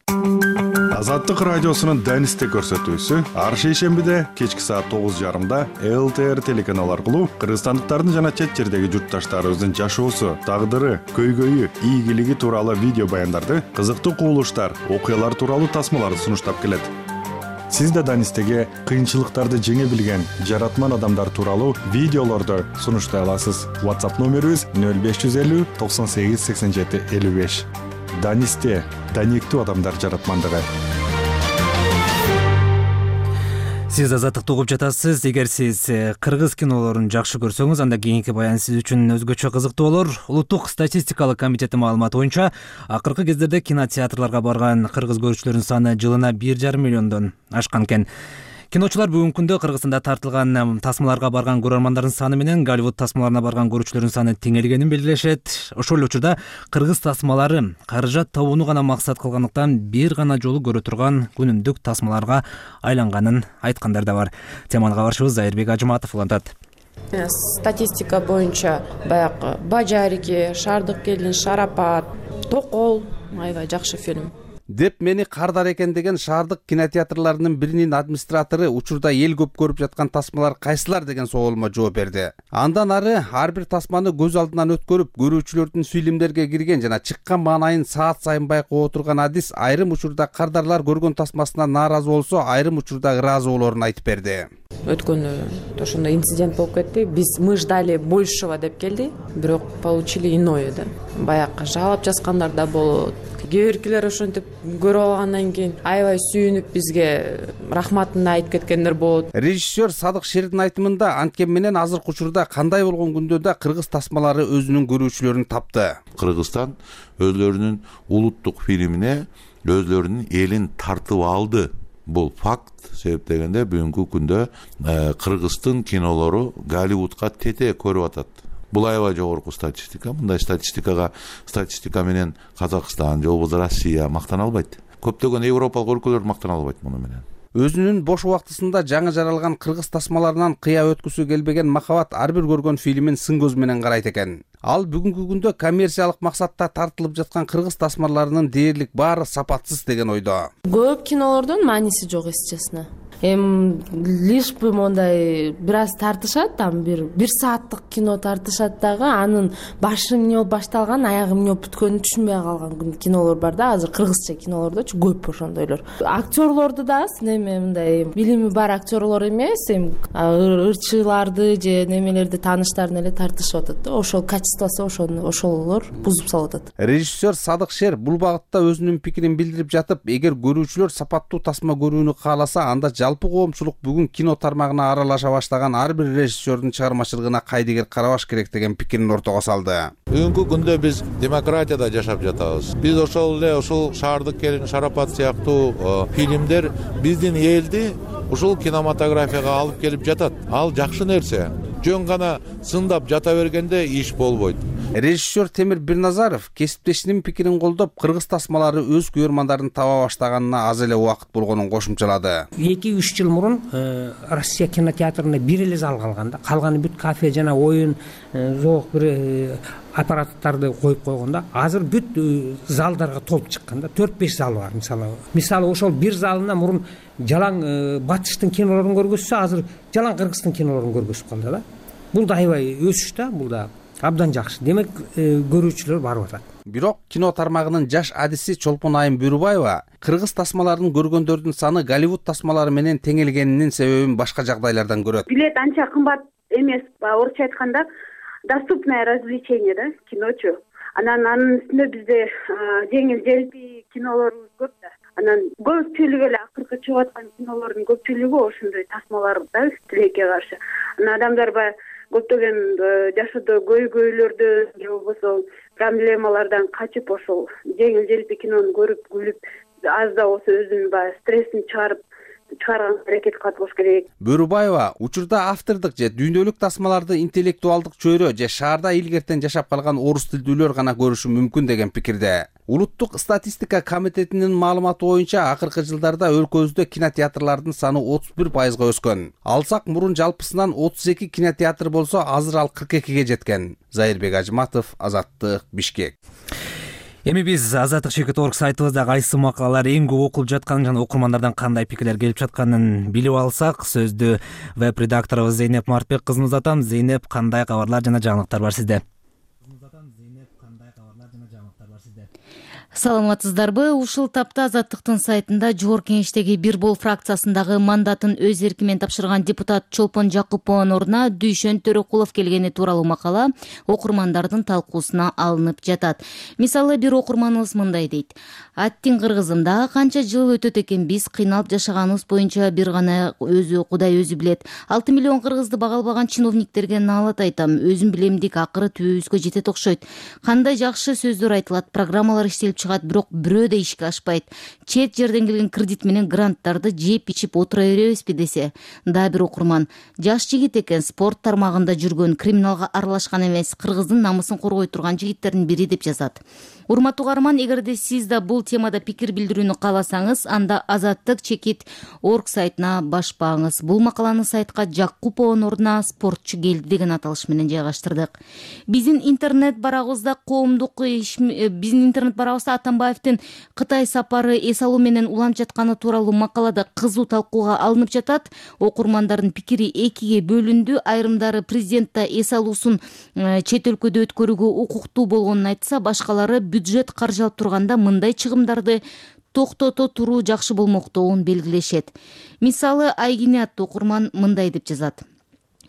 Азаттык радиосунун Данисте көрсөтүүсү ар шейшембиде кечки саат 9:30 ЛТР телеканалы аркылуу кыргызстандыктардын жана чет жердеги журтташтарыбыздын жашоосу, тагдыры, көйгөйү, ийгилиги тууралуу видео баяндарды, кызыктуу кубулуштар, окуялар тууралуу тасмаларды сунуштап келет. Сиз да Данистеге кыйынчылыктарды жеңе билген жаратман адамдар тууралуу видеолорду сунуштай аласыз. WhatsApp номерибиз 0550 98 87 55. Данисте даниктүү адамдар жаратмандыгы. Сиз азаттыкты угуп жатасыз. Эгер сиз кыргыз кинолорун жакшы көрсөңүз, анда кийинки баян сиз үчүн өзгөчө кызыктуу болор. Улуттук статистикалык комитети маалыматы боюнча, акыркы кездерде кинотеатрларга барган кыргыз көрүүчүлөрүнүн саны жылына 1,5 миллиондон ашкан экен. Киночулар бүгүнкү күндө Кыргызстанда тартылган тасмаларга барган көрөрмандардын саны менен Голливуд тасмаларына барган көрүүчүлөрдүн саны теңелгенин белгилешет. Ошол эле учурда кыргыз тасмалары каражат табууну гана максат кылгандыктан бир гана жолу көрө турган күнүмдүк тасмаларга айланганын айткандар да бар. Теманы кабарчыбыз Зайырбек Ажыматов улантат. Статистика боюнча баягы Бажарики, Шаардык келин, Шарапат, Токол аябай жакшы фильм деп мени кардар экен деген шаардык кинотеатрларынын биринин администратору учурда эл көп көрүп жаткан тасмалар кайсылар деген суолума жооп берди. Андан ары ар бир тасманы көз алдынан өткөрүп, көрүүчүлөрдүн фильмдерге кирген жана чыккан маанайын саат сайын байкап отурган адис айрым учурда кардарлар көргөн тасмасынан нааразы болсо, айрым учурда ыраазы болоорун айтып берди. Өткөндө ошондой инцидент болуп кетти. Мы ждали большего деп келди, бирок получили иное да. Баягы жалап жазгандар да болот. Кээ биркилер ошентип көрүп алгандан кийин аябай сүйүнүп бизге рахматын айтып кеткендер болот. Режиссер Садык Шердин айтымында анткени менен азыркы учурда кандай болгон күндө да кыргыз тасмалары өзүнүн көрүүчүлөрүн тапты. Кыргызстан өзлөрүнүн улуттук фильмине өзлөрүнүн элин тартып алды. Бул факт. Себеп дегенде бүгүнкү күндө кыргыздын кинолору Голливудка тете көрүп атат. Бул аябай жогорку статистика. Мындай статистика менен Казакстан, же Россия мактана албайт. Көптөгөн европалык өлкөлөр мактана албайт муну менен. Өзүнүн бош убактысында жаңы жаралган кыргыз тасмаларынан кыя өткүсү келбеген Махабат ар бир көргөн фильмин сын көз менен карайт экен. Ал бүгүнкү күндө коммерциялык максатта тартылып жаткан кыргыз тасмаларынын дээрлик баары сапатсыз деген ойдо. Көп кинолордун мааниси жок, если честно. Лишь бы мондай бир аз тартышат, там бир сааттык кино тартышат дагы, анын башы эмне болуп башталган, аягы эмне болуп бүткөнүн түшүнбөй калган кинолор бар да, азыр кыргызча кинолордочу көп ошондойлор. Актерлорду да неме мындай билими бар актерлор эмес, ырчыларды же немелерди тааныштарын эле тартышып атат да. Ошол качествосу ошолор бузуп салып атат. Режиссер Садык Шер бул багытта өзүнүн пикирин билдирип жатып, эгер көрүүчүлөр сапаттуу тасма көрүүнү кааласа, анда жалпы коомчулук бүгүн кино тармагына аралаша баштаган ар бир режиссердин чыгармачылыгына кайдыгер карабаш керек деген пикирин ортого салды. Бүгүнкү күндө биз демократияда жашап жатабыз. Биз ошол Шаардык келин, Шарапат сыяктуу фильмдер биздин элди ушул кинематографияга алып келип жатат. Ал жакшы нерсе. Жөн гана сындап жата бергенде иш болбойт. Режиссер Темир Бирназаров кесиптешинин пикирин колдоп, кыргыз тасмалары өз көрөрмандарын таба баштаганына аз эле убакыт болгонун кошумчалады. 2-3 жыл мурун Россия кинотеатрында бир эле зал калган да. Калганы бүт кафе жана оюн зоок бир аппараттарды коюп койгондо. Азыр бүт залдарга толуп чыккан да. 4-5 зал бар мисалы ошол бир залына мурун жалаң батыштын кинолорун көргөзсө, азыр жалаң кыргыздын кинолорун көргөзүп калды да. Бул да аябай өсүш да, бул да абдан жакшы. Демек көрүүчүлөр барып атат. Бирок кино тармагынын жаш адиси Чолпон Айым Бөрүбаева кыргыз тасмаларын көргөндөрдүн саны Голливуд тасмалары менен теңелгенинин себебин башка жагдайлардан көрөт. Билет анча кымбат эмес, орусча айтканда доступное развлечение да, киночу. Анын үстүнө бизде жеңил желпи кинолорубуз көп да. Анан көпчүлүгү эле акыркы чыгып аткан кинолордун көпчүлүгү ошондой тасмаларда тилекке каршы. Анан адамдар баягы көптөгөн жашоодо көйгөйлөрдөн же болбосо проблемалардан качып ошол жеңил желпи кинону көрүп күлүп аз да болсо өзүнүн баягы стрессин чыгарганга аракет кылат болуш керек. Бөрүбаева учурда автордук же дүйнөлүк тасмаларды интеллектуалдык чөйрө же шаарда илгертен жашап калган орус тилдүүлөр гана көрүшү мүмкүн деген пикирде. Улуттук статистика комитетинин маалыматы боюнча акыркы жылдарда өлкөбүздө кинотеатрлардын саны 31% өскөн. Алсак мурун жалпысынан 32 кинотеатр болсо, азыр ал 42ге жеткен. Зайырбек Ажматов, Азаттык, Бишкек. Эми биз Азаттык.org сайтыбызда кайсы макалалар эң көп окулуп жатканын жана окурмандардан кандай пикирлер келип жатканын билип алсак, сөздү веб редакторубуз Зейнеп Мартбек кызына узатам. Зейнеп, кандай кабарлар жана жаңылыктар бар сизде? Саламатсыздарбы? Ушул тапта Азаттыктын сайтында Жогорку Кеңештеги Бир Бол фракциясындагы мандатын өз эрки менен тапшырган депутат Чолпон Жакупованын ордуна Дүйшөн Төрөкулов келгени тууралуу макала окурмандардын талкуусуна алынып жатат. Мисалы, бир окурманыбыз мындай дейт: "Аттин кыргызым, дагы канча жыл өтөт экен, биз кыйналып жашаганыбыз боюнча бир гана Кудай өзү билет. 6 миллион кыргызды бага албаган чиновниктерге наалат айтам. Өзүм билемдик, акыры түбүбүзгө жетет окшойт. Кандай жакшы сөздөр айтылат, программалар иштелип чыгат, бирок бирөө да ишке ашпайт. Чет жерден келген кредит менен гранттарды жеп ичип отура беребизби?" десе. Дагы бир окурман: "Жаш жигит экен, спорт тармагында жүргөн, криминалга аралашкан эмес, кыргыздын намысын коргой турган жигиттердин бири" деп жазат. Урматтуу каарман, эгерде сиз да бул темада пикир билдирүүнү кааласаңыз, анда Азаттык.org сайтына башпаңыз. Бул макаланы сайтка Жакупованын ордуна спортчу келди деген аталыш менен жайгаштырдык. Биздин интернет барагыбызда Атамбаевдин Кытай сапары эс алуу менен уланып жатканы тууралуу макалада кызуу талкууга алынып жатат. Окурмандардын пикири экиге бөлүндү. Айрымдары президентте эс алуусун чет өлкөдө өткөрүүгө укуктуу болгонун айтса, башкалары бюджет каржылап турганда мындай чыгымдарды токтото туруу жакшы болмоктугун белгилешет. Мисалы, Айгине аттуу окурман мындай деп жазат: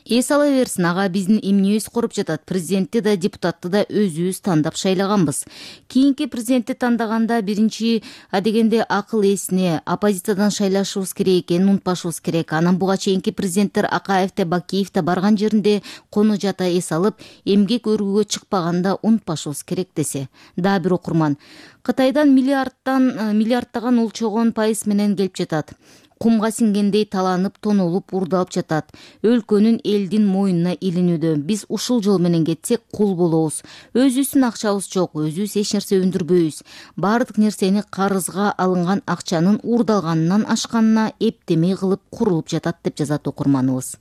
"Эс ала берсин, ага биздин эмнебиз коруп жатат. Президентти да, депутатты да өзүбүз тандап шайлаганбыз. Кийинки президентти тандаганда биринчи адегенде акыл эсине, оппозициядан шайлашыбыз керек экенин унутпашыбыз керек. Анан буга чейинки президенттер Акаев да, Бакиев да барган жеринде кону жата эс алып, эмгек өргүүгө чыкпаганда унутпашыбыз керек" десе. Дагы бир окурман: "Кытайдан миллиардтаган улчогон пайыз менен келип жатат. Кумга сиңгендей таланып, тонолуп, урдалып жатат. Өлкөнүн элдин мойнуна илинүүдө. Биз ушул жол менен кетсек кул болобуз. Өзүбүздүн акчабыз жок, өзүбүз эч нерсе өндүрбөйбүз. Баардык нерсени карызга алынган акчанын урдалганынан ашканына эптемей кылып курулуп жатат" деп жазат окурманыбыз.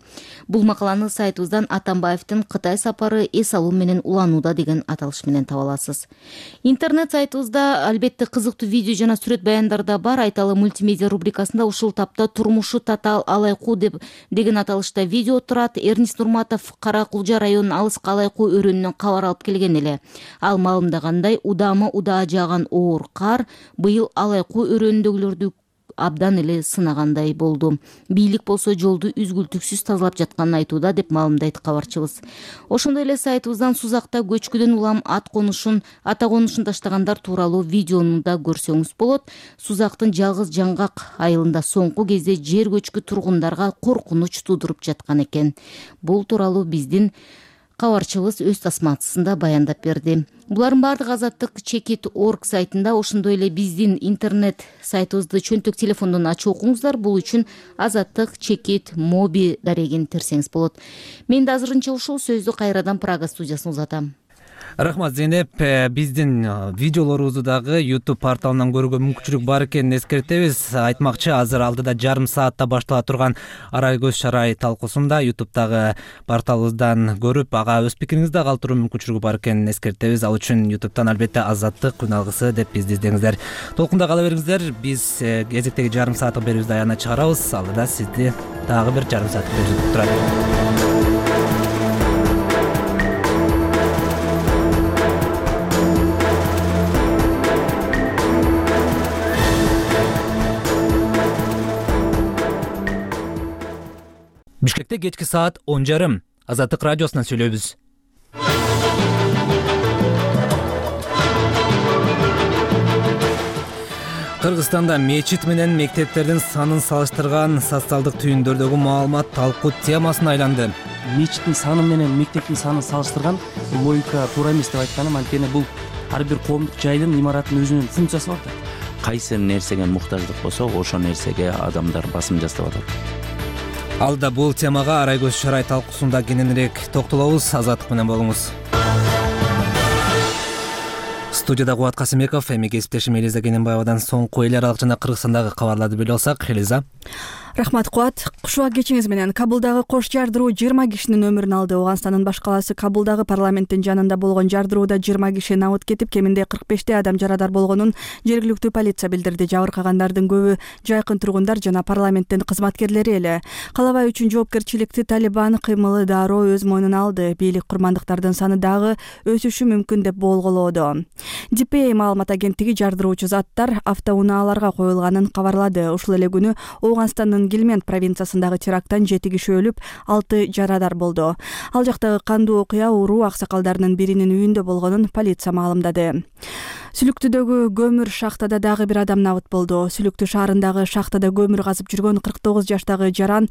Бул макаланы сайтыбыздан Атамбаевдин Кытай сапары эс алуу менен уланууда деген аталыш менен таба аласыз. Интернет сайтыбызда албетте кызыктуу видео жана сүрөт баяндар да бар. Айталы мультимедиа рубрикасында ушул турмушу татаал алайкуу деген аталышта видео турат. Эрнис Нурматов Кара Кулжа районунун алыскы алайкуу өрөөнүнөн кабар алып келген эле. Ал маалымдагандай, удаа жааган оор кар быйыл алайкуу өрөөнүндөгүлөрдү абдан эле сынагандай болду. Бийлик болсо жолду үзгүлтүксүз тазалап жатканын айтууда деп маалымдайт кабарчыбыз. Ошондой эле сайтыбыздан Сузакта көчкүдөн улам ата конушун таштагандар тууралуу видеону да көрсөңүз болот. Сузактын Жалгыз Жаңгак айылында соңку кезде жер көчкү тургундарга коркунуч туудуруп жаткан экен. Бул тууралуу биздин кабарчыбыз өз тасмасында баяндап берди. Булардын баардыгы Азаттык.org сайтында, ошондой эле биздин интернет сайтыбызды чөнтөк телефондон ачып окуңуздар. Бул үчүн Азаттык.моби дарегин терсеңиз болот. Мен да азырынча ушул сөздү кайрадан Прага студиясына узатам. Рахмат Зейнеп. Биздин видеолорубузду дагы YouTube порталынан көрүүгө мүмкүнчүлүк бар экенин эскертебиз. Айтмакчы, азыр алдыда жарым саатта баштала турган арай көз шарай талкуусунда YouTube'дагы порталыбыздан көрүп, ага өз пикириңизди калтыруу мүмкүнчүлүгү бар экенин эскертебиз. Ал үчүн YouTube'дан албетте Азаттык күн алгысы деп бизди издеңиздер. Толкунда кала бериңиздер. Биз кезектеги жарым сааттык берүүбүздү аягына чыгарабыз. Алдыда сизди дагы бир жарым сааттык берүү күтүп турат. Бишкекте кечки саат 10:30. Азаттык радиосунан сүйлөйбүз. Кыргызстанда мечит менен мектептердин санын салыштырган социалдык түйүндөрдөгү маалымат талкуу темасына айланды. Мечиттин саны менен мектептин санын салыштырган логика туура эмес деп айтканым, анткени бул ар бир коомдук жайдын, имараттын өзүнүн функциясы бар да. Кайсы нерсеге муктаждык болсо, ошол нерсеге адамдар басым жасап атат. Алда бул темага арай көз шарай талкуусунда кененирээк токтолобуз. Азаттык менен болуңуз. Студияда Кубат Касымбеков, эми кесиптешим Элиза Кененбаевадан соңку эл аралык жана Кыргызстандагы кабарларды билип алсак. Элиза. Рахмат Кубат. Кушуак кечиңиз менен Кабулдагы кош жардыруу 20 кишинин өмүрүн алды. Ооганстандын баш калаасы Кабулдагы парламенттин жанында болгон жардырууда 20 киши набыт кетип, кеминде 45 адам жарадар болгонун жергиликтүү полиция билдирди. Жабыркагандардын көбү жайкын тургундар жана парламенттин кызматкерлери эле. Калабай үчүн жоопкерчиликти Талибан кыймылы дароо өз мойнуна алды. Бийлик курмандыктардын саны дагы өсүшү мүмкүн деп болголоодо. DPA маалымат агенттиги жардыруучу заттар автоунааларга коюлганын кабарлады. Ушул эле күнү Ооганстандын Гилмент провинциясындагы теракттан 7 киши өлүп, 6 жарадар болду. Ал жактагы кандуу окуя уруу аксакалдарынын биринин үйүндө болгонун полиция маалымдады. Сүлүктүдөгү көмүр шахтада дагы бир адам набыт болду. Сүлүктү шаарындагы шахтада көмүр казып жүргөн 49 жаштагы жаран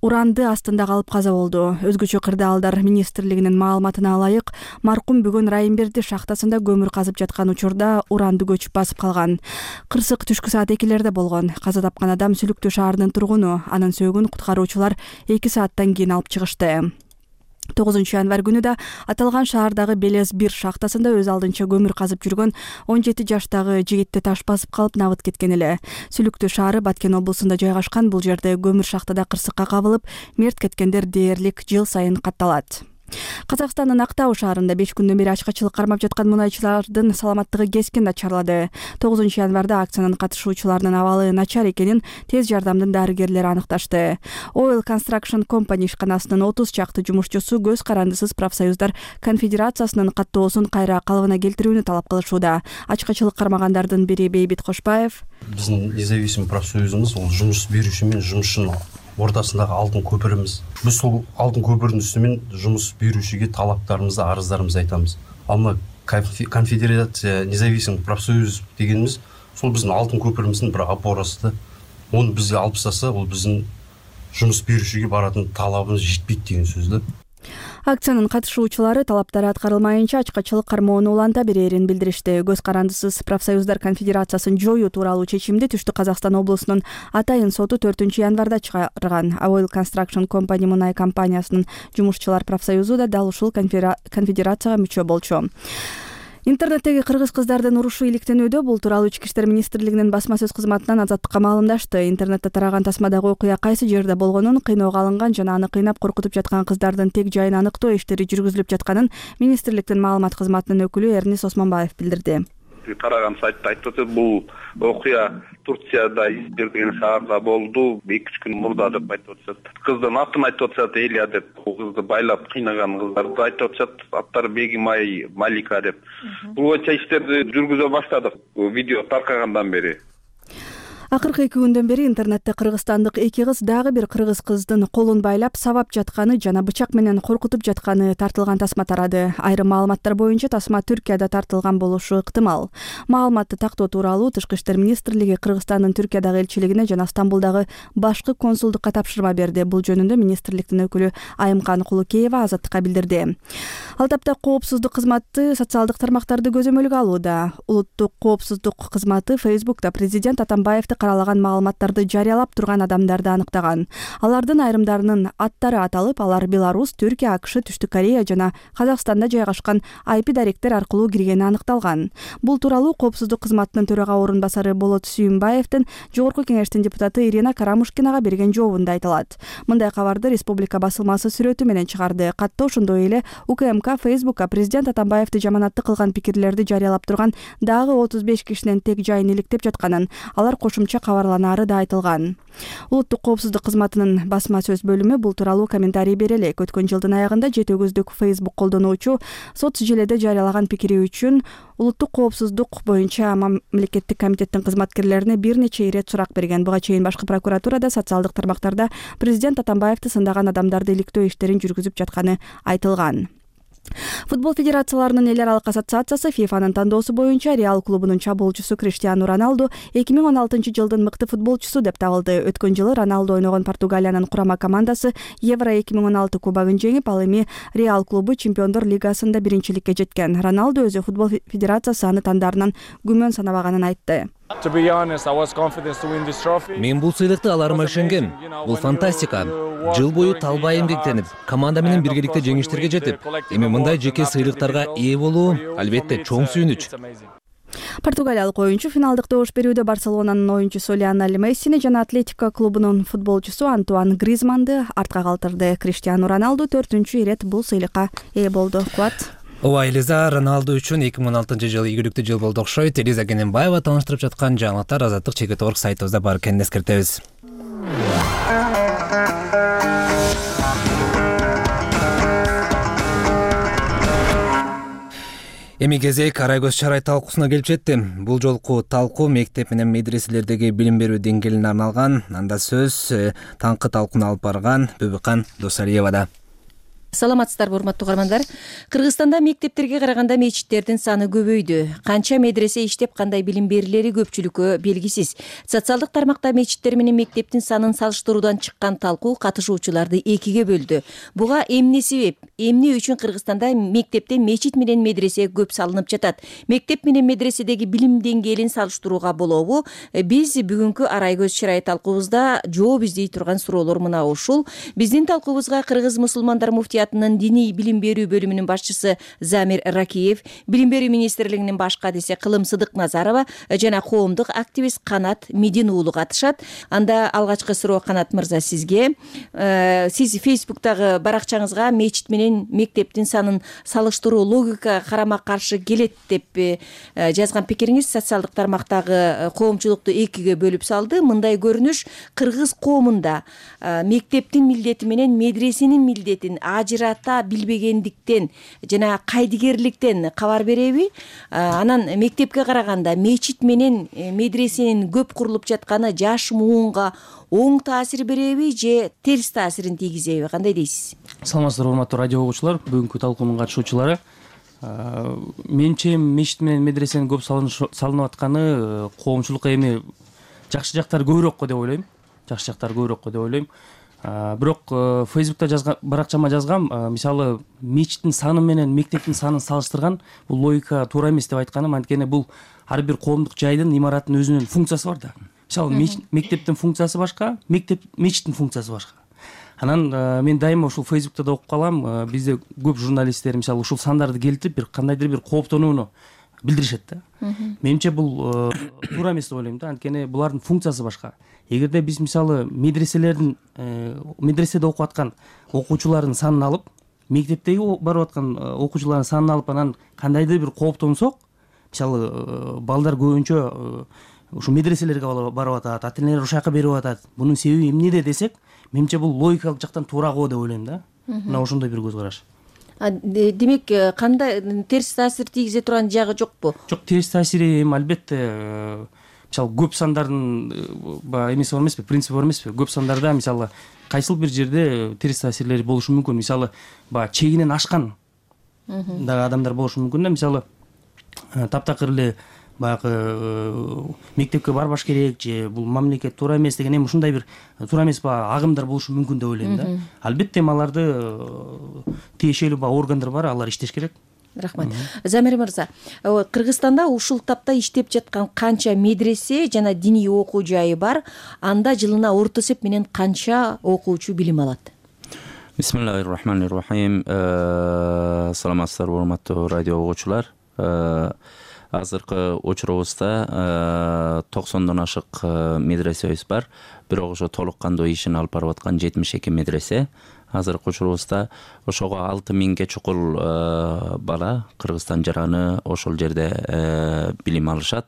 уранды астында калып каза болду. Өзгөчө кырдаалдар министрлигинин маалыматына ылайык, маркум бүгүн Райымберди шахтасында көмүр казып жаткан учурда уранды көчүп басып калган. Кырсык түшкү саат 2-лерде болгон. Каза тапкан адам Сүлүктүү шаарынын тургуну. Анын сөөгүн куткаруучулар 2 сааттан кийин алып чыгышты. 9 январь күнү да аталган шаардагы Белес 1 шахтасында өз алдынча көмүр казып жүргөн 17 жаштагы жигитти таш басып калып набыт кеткен эле. Сүлүктүү шаары Баткен облусунда жайгашкан. Бул жерде көмүр шахтада кырсыкка кабылып, мерт кеткендер дээрлик жыл сайын катталат. Казакстандын Актау шаарында 5 күндөн бери ачкачылык кармап жаткан мунайчылардын саламаттыгы кескин начарлады. 9 январда акциянын катышуучуларынын абалы начар экенин тез жардамдын дарыгерлери аныкташты. Oil Construction Company ишканасынын 30 чакты жумушчусу көз карандысыз профсоюздар конфедерациясынын каттоосун кайра калыбына келтирүүнү талап кылышууда. Ачкачылык кармагандардын бири Бейбит Кошбаев. Биздин независимый профсоюзубуз бул жумуш берүүчү менен жумушчунун ортасындагы алтын көпүрүбүз. Биз сол алтын көпүрдүн үстүнөн жумуш берүүчүгө талаптарыбызды, арыздарыбызды айтабыз. Ал мына конфедерация независимый профсоюз дегенimiz сол биздин алтын көпүрүбүздүн бир опорасы да. Onu бизге алып тастаса, бул биздин жумуш берүүчүгө баратын талабыбыз жетпейт деген сөз да. Акциянын катышуучулары талаптары аткарылмайынча ачкачылык кармоону уланта берерин билдиришти. Көз карандысыз профсоюздар конфедерациясын жоюу тууралуу чечимди Түштүк Казакстан облусунун Атайын соту 4 январда чыгарган. Oil Construction Company мунай компаниясынын жумушчулар профсоюзу да дал ушул конфедерацияга мүчө болчу. Интернеттеги кыргыз кыздардын урушу иликтенүүдө. Бул тууралуу Ички иштер министрлигинин басма сөз кызматынан Азаттыкка маалымдашты. Интернетте тараган тасмадагы окуя кайсы жерде болгонун, кыйноого алынган жана аны кыйнап коркутуп жаткан кыздардын тег жайын аныктоо иштери жүргүзүлүп жатканын министрликтин маалымат кызматынын өкүлү Эрнис Осмонбаев билдирди. Тараган сайтта айтып атат, бул окуя Турцияда Измир деген шаарда болду. 2-3 күн мурда деп айтып атышат. Кыздын атын айтып атышат, Элия деп. Бул кызды байлап кыйнаган кыздарды айтып атышат. Аттары Бегимай, Малика деп. Бул боюнча иштерди жүргүзө баштадык. Видео таркагандан бери. Акыркы 2 күндөн бери интернетте кыргызстандык 2 кыз дагы бир кыргыз кыздын колун байлап сабап жатканы жана бычак менен коркутуп жатканы тартылган тасма тарады. Айрым маалыматтар боюнча тасма Түркияда тартылган болушу ыктымал. Маалыматты тактоо тууралуу Тышкы иштер министрлиги Кыргызстандын Түркиядагы элчилигине жана Стамбулдагы башкы консулдукка тапшырма берди. Бул жөнүндө министрликтин өкүлү Айымкан Кулукеева Азаттыкка билдирди. Ал тапта коопсуздук кызматы социалдык тармактарды көзөмөлгө алууда. Улуттук коопсуздук кызматы Facebook'та президент Атамбаевди каралаган маалыматтарды жарыялап турган адамдарды аныктаган. Алардын айрымдарынын аттары аталып, алар Беларусь, Түркия, АКШ, Түштүк Корея жана Казакстанда жайгашкан IP даректер аркылуу киргени аныкталган. Бул тууралуу Коопсуздук кызматынын төрага орун басары Болот Сүйүнбаевдин Жогорку кеңештин депутаты Ирина Карамушкинага берген жообунда айтылат. Мындай кабарды Республика басылмасы сүрөтү менен чыгарды. Катта ошондой эле УКМК Фейсбукка президент Атамбаевди жаманатты кылган пикирлерди жарыялап турган дагы 35 кишинин тег жайын иликтеп жатканын, алар кошумча кабарланаары да айтылган. Улуттук коопсуздук кызматынын басма сөз бөлүмү бул тууралуу комментарий бере элек. Өткөн жылдын аягында 7 көздөк Facebook колдонуучу соц желеде жарыялаган пикири үчүн улуттук коопсуздук боюнча мамлекеттик комитеттин кызматкерлерине бир нече ирет сурак берген. Буга чейин башкы прокуратурада социалдык тармактарда президент Атамбаевди сындаган адамдарды иликтөө иштерин жүргүзүп жатканы айтылган. Футбол федерацияларынын эл аралык ассоциациясы ФИФАнын тандоосу боюнча Реал клубунун чабуулчусу Криштиану Роналду 2016 жылдын мыкты футболчусу деп табылды. Өткөн жылы Роналду ойногон Португалиянын курама командасы Евро 2016 кубогун жеңип, ал эми Реал клубу Чемпиондор лигасында биринчиликке жеткен. Роналду өзү футбол федерациясы аны тандарынан күмөн санабаганын айтты. Мен бул сыйлыкты аларыма ишенгем. Бул фантастика. Жыл бою талбай эмгектенип, команда менен биргеликте жеңиштерге жетип, эми мындай жеке сыйлыктарга ээ болуу албетте чоң сүйүнүч. Португалиялык оюнчу финалдык добуш берүүдө Барселонанын оюнчусу Лионель Мессини жана Атлетико клубунун футболчусу Антуан Гризманды артка калтырды. Криштиану Роналду 4-чү ирет бул сыйлыкка ээ болду. Кубат. Ооба, Элиза, Роналду үчүн 2016 жыл ийгиликтүү жыл болду окшойт. Элиза Кененбаева тааныштырып жаткан жаңылыктар Азаттык чекит орг сайтыбызда бар экенин эскертебиз. Эми кезек Арайгөз Чарай талкуусуна келип жетти. Бул жолку талкуу мектеп менен медреселердеги билим берүү деңгээлине арналган. Анда сөз таңкы талкууну алып барган Бүбүкан Досалиевада. Саламатсыздарбы, урматтуу угармандар. Кыргызстанда мектептерге караганда мечиттердин саны көбөйдү. Канча медресе иштеп, кандай билим берилери көпчүлүккө белгисиз. Социалдык тармакта мечиттер менен мектептин санын салыштыруудан чыккан талкуу катышуучуларды экиге бөлдү. Буга эмне себеп? Эмне үчүн Кыргызстанда мектепте мечит менен медресе көп салынып жатат? Мектеп менен медреседеги билим деңгээлин салыштырууга болобу? Биз бүгүнкү Арайгөз Чарай талкуубузда жооп издей турган суроолор мына ушул. Биздин талкуубузга Кыргыз мусулмандар муфтиятынын диний билим берүү бөлүмүнүн башчысы Замир Ракиев, билим берүү министрлигинин баш кадиси Кылым Сыдыкназарова жана коомдук активист Канат Медин уулу катышат. Анда алгачкы суроо, Канат мырза, сизге. Сиз Фейсбуктагы баракчаңызга мечит менен мектептин санын салыштыруу логика карама каршы келет деп жазган пикириңиз социалдык тармактагы коомчулукту экиге бөлүп салды. Мындай көрүнүш кыргыз коомунда мектептин милдети менен медресенин милдетин ажырата билбегендиктен жана кайдыгерликтен кабар береби? Анан мектепке караганда мечит менен медресенин көп курулуп жатканы жаш муунга оң таасир береби же терс таасирин тийгизеби? Кандай дейсиз? Саламатсыздарбы, урматтуу радио угуучулар, бүгүнкү талкуунун катышуучулары. Менимче мечит менен медресенин көп салынып атканы коомчулукка эми жакшы жактары көбүрөккө деп ойлойм. Жакшы жактары көбүрөккө деп ойлойм. Бирок Фейсбукта баракчама жазгам, мисалы мечиттин саны менен мектептин санын салыштырган бул логика туура эмес деп айтканым. Анткени бул ар бир коомдук жайдын, имараттын өзүнүн функциясы бар да. Мисалы мектептин функциясы башка, мечиттин функциясы башка. Анан мен дайыма ушул Фейсбукта да окуп калам, бизде көп журналисттер мисалы ушул сандарды келтирип бир кандайдыр бир кооптонууну билдиришет да. Менимче бул туура эмес деп ойлойм да, анткени булардын функциясы башка. Эгерде биз мисалы медреседе окуп аткан окуучулардын санын алып, мектептеги барып аткан окуучулардын санын алып, анан кандайдыр бир кооптонсок, мисалы балдар көбүнчө ушу медреселерге барып атат, ата-энелер ушул жака берип атат. Бунун себеби эмнеде десек, менимче бул логикалык жактан туурагыбы деп ойлойм да. Мына ошондой бир көз караш. Демек, кандай терс таасир тийгизе турган жагы жокпу? Жок, терс таасири эми албетте мисалы көп сандардын эмеси бар эмеспи, принципи бар эмеспи? Көп сандарда мисалы кайсыл бир жерде терс таасирлери болушу мүмкүн. Мисалы чегинен ашкан дагы адамдар болушу мүмкүн да. Мисалы таптакыр эле баягы мектепке барбаш керек же бул мамлекет туура эмес деген эми ушундай бир туура эмес агымдар болушу мүмкүн деп ойлойм да. Албетте аларды тиешелүү органдар бар, алар иштеш керек. Рахмат. Замир мырза, Кыргызстанда ушул тапта иштеп жаткан канча медресе жана диний окуу жайы бар? Анда жылына орто эсеп менен канча окуучу билим алат? Бисмиллахир-рахманир-рахим. Саламатсыздарбы, урматтуу радио угуучулар. Азыркы учурубузда 90дон ашык медресебиз бар. Бирок ошо толук кандуу ишин алып барып аткан 72 медресе. Азыркы учурубузда ошого 6000ге чукул бала Кыргызстан жараны ошол жерде билим алышат.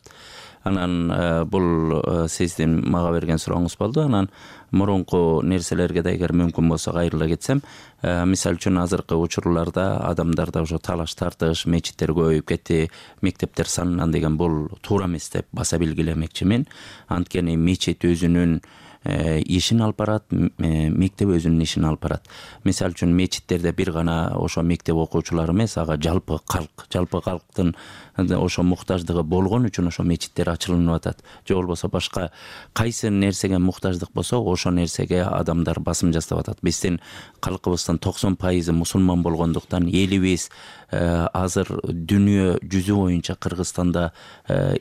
Анан бул сиздин мага берген сурооңуз болду. Анан мурунку нерселерге да эгер мүмкүн болсо кайрыла кетсем, мисалы үчүн азыркы учурларда адамдарда ошо талаш тартыш, мечиттер көбөйүп кетти, мектептер санынан деген бул туура эмес деп баса белгилемекчимин. Анткени мечит өзүнүн ишин алып барат, мектеп өзүнүн ишин алып барат. Мисалы үчүн мечиттерде бир гана ошо мектеп окуучулары эмес, ага жалпы калктын ошо муктаждыгы болгон үчүн ошо мечиттер ачылынып атат. Же болбосо башка кайсы нерсеге муктаждык болсо, ошо нерсеге адамдар басым жасап атат. Биздин калкыбыздын 90% мусулман болгондуктан элибиз азыр дүйнө жүзү боюнча Кыргызстанда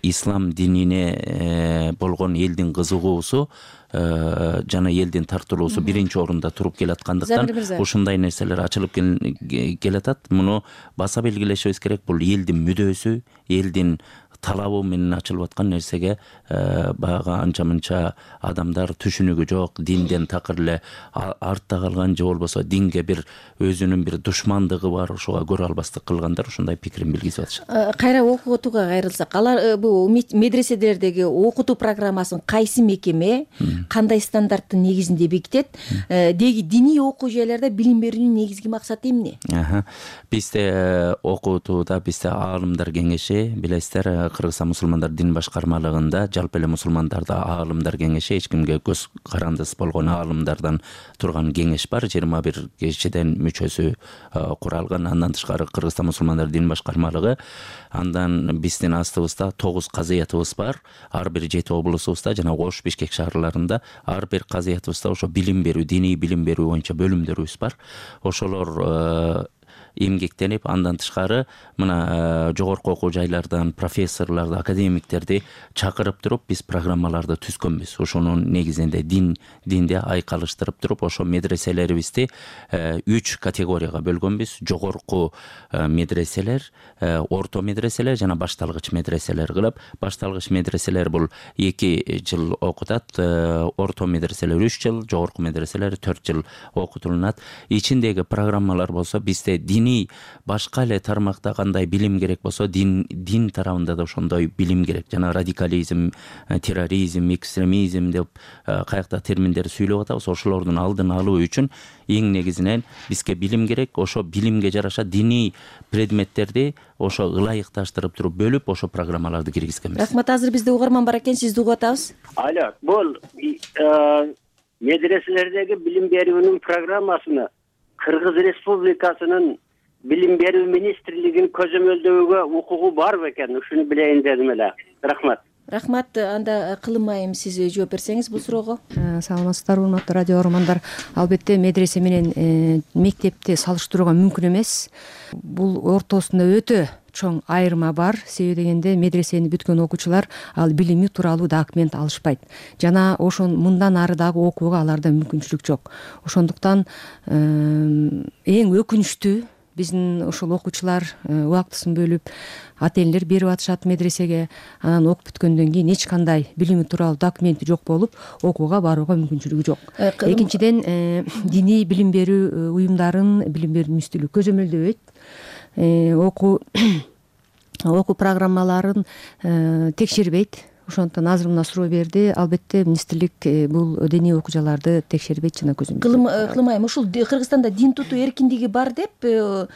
ислам динине болгон элдин кызыгуусу жана элдин тартылуусу биринчи орунда туруп келаткандыктан ушундай нерселер ачылып келатат. Муну баса белгилешибиз керек. Бул элдин мүдөөсү, элдин талабы менен ачылып аткан нерсеге баягы анча мынча адамдар түшүнүгү жок, динден такыр эле артта калган, же болбосо динге бир өзүнүн бир душмандыгы бар, ошого көрө албастык кылгандар ушундай пикирин билгизип атышат. Кайра окутууга кайрылсак, алар бул медреселердеги окутуу программасын кайсы мекеме, кандай стандарттын негизинде бекитет? Деги диний окуу жайларда билим берүүнүн негизги максаты эмне? Бизде окутууда бизде аалымдар кеңеши, билесиздер, Кыргызстан мусулмандар дин башкармалыгында жалпы эле мусулмандарда аалымдар кеңеши, эч кимге көз карандысыз болгон аалымдардан турган кеңеш бар. 21 кишиден мүчөсү куралган. Андан тышкары Кыргызстан мусулмандар дин башкармалыгы. Андан биздин астыбызда 9 казыятыбыз бар. Ар бир 7 облусубузда жана Ош, Бишкек шаарларында ар бир казыятыбызда ошо билим берүү, диний билим берүү боюнча бөлүмдөрүбүз бар. Ошолор эмгектенип, андан тышкары мына жогорку окуу жайлардан профессорлорду, академиктерди чакырып туруп биз программаларды түзгөнбүз. Ошонун негизинде динде айкалыштырып туруп, ошо медреселерибизди 3 категорияга бөлгөнбүз. Жогорку медреселер, орто медреселер жана башталгыч медреселер кылып, башталгыч медреселер бул 2 жыл окутат, орто медреселер 3 жыл, жогорку медреселер 4 жыл окутулат. Ичиндеги программалар болсо бизде башка эле тармакта кандай билим керек болсо, дин тарабында да ошондой билим керек. Жана радикализм, терроризм, экстремизм деп каякта терминдерди сүйлөп атабыз. Ошолордун алдын алуу үчүн эң негизинен бизге билим керек. Ошо билимге жараша диний предметтерди ошо ылайыкташтырып туруп бөлүп, ошо программаларды киргизгенбиз. Рахмат. Азыр бизде угарман бар экен, сизди угуп атабыз. Алло, бул медреселердеги билим берүүнүн программасыны Кыргыз Республикасынын билим берүү министрлигинин көзөмөлдөөгө укугу бар бекен? Ушуну билейин дедим эле. Рахмат. Рахмат. Анда Кылым айым, сиз жооп берсеңиз бул суроого. Саламатсыздарбы, урматтуу радио угармандар. Албетте медресе менен мектепти салыштырууга мүмкүн эмес. Бул ортосунда өтө чоң айырма бар. Себеби дегенде медресени бүткөн окуучулар ал билими тууралуу документ алышпайт. Жана ошон мындан ары дагы окууга аларда мүмкүнчүлүк жок. Ошондуктан эң өкүнүчтүү биздин ошол окуучулар убактысын бөлүп ата энелер берип атышат медресеге. Анан окуп бүткөндөн кийин эч кандай билими тууралуу документи жок болуп, окууга барууга мүмкүнчүлүгү жок. Экинчиден, диний билим берүү уюмдарын билим берүү министрлиги көзөмөлдөбөйт. Окуу программаларын текшербейт. Ошондуктан азыр мына суроо берди. Албетте министрлик бул диний окуучуларды текшербейт жана көзөмөлдөйт. Кылым айым, ушул Кыргызстанда дин тутуу эркиндиги бар деп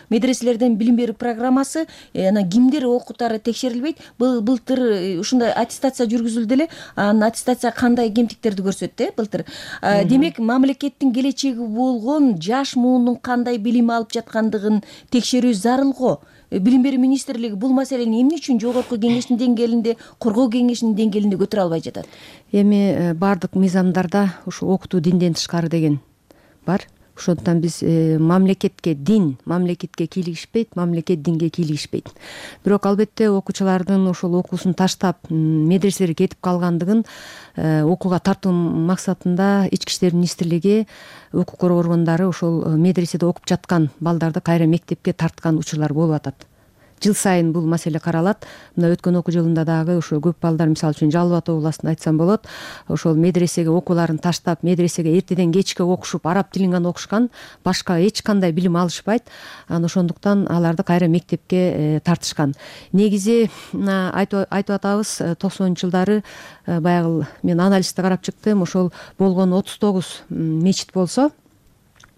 медреселерден билим берүү программасы, анан кимдер окутары текшерилбейт. Былтыр ушундай аттестация жүргүзүлдү эле. Анын аттестация кандай кемтиктерди көрсөттү былтыр. Демек, мамлекеттин келечеги болгон жаш муундун кандай билим алып жаткандыгын текшерүү зарыл го. Билим берүү министрлиги бул маселени эмне үчүн жогорку кеңештин деңгээлинде, коргоо кеңешинин деңгээлинде көтөрө албай жатат? Эми бардык мыйзамдарда ушу окутуу динден тышкары деген бар. ошондуктан биз мамлекетке кийлигишпейт, мамлекет динге кийлигишпейт. Бирок албетте окуучулардын ошол окуусун таштап медреселерге кетип калгандыгын окууга тартуу максатында Ички иштер министрлиги, укук коргоо органдары ошол медреседе окуп жаткан балдарды кайра мектепке тарткан учурлар болуп атат. Жыл сайын бул маселе каралат. Мына өткөн окуу жылында дагы ошо көп балдар, мисалы үчүн Жалал Абад областында айтсам болот, ошол медресеге окууларын таштап, медресеге эртеден кечке окушуп, араб тилин гана окушкан, башка эч кандай билим алышпайт. Анан ошондуктан аларды кайра мектепке тартышкан. Негизи айтып атабыз, 90-жылдары баягы мен анализди карап чыктым, ошол болгон 39 мечит болсо,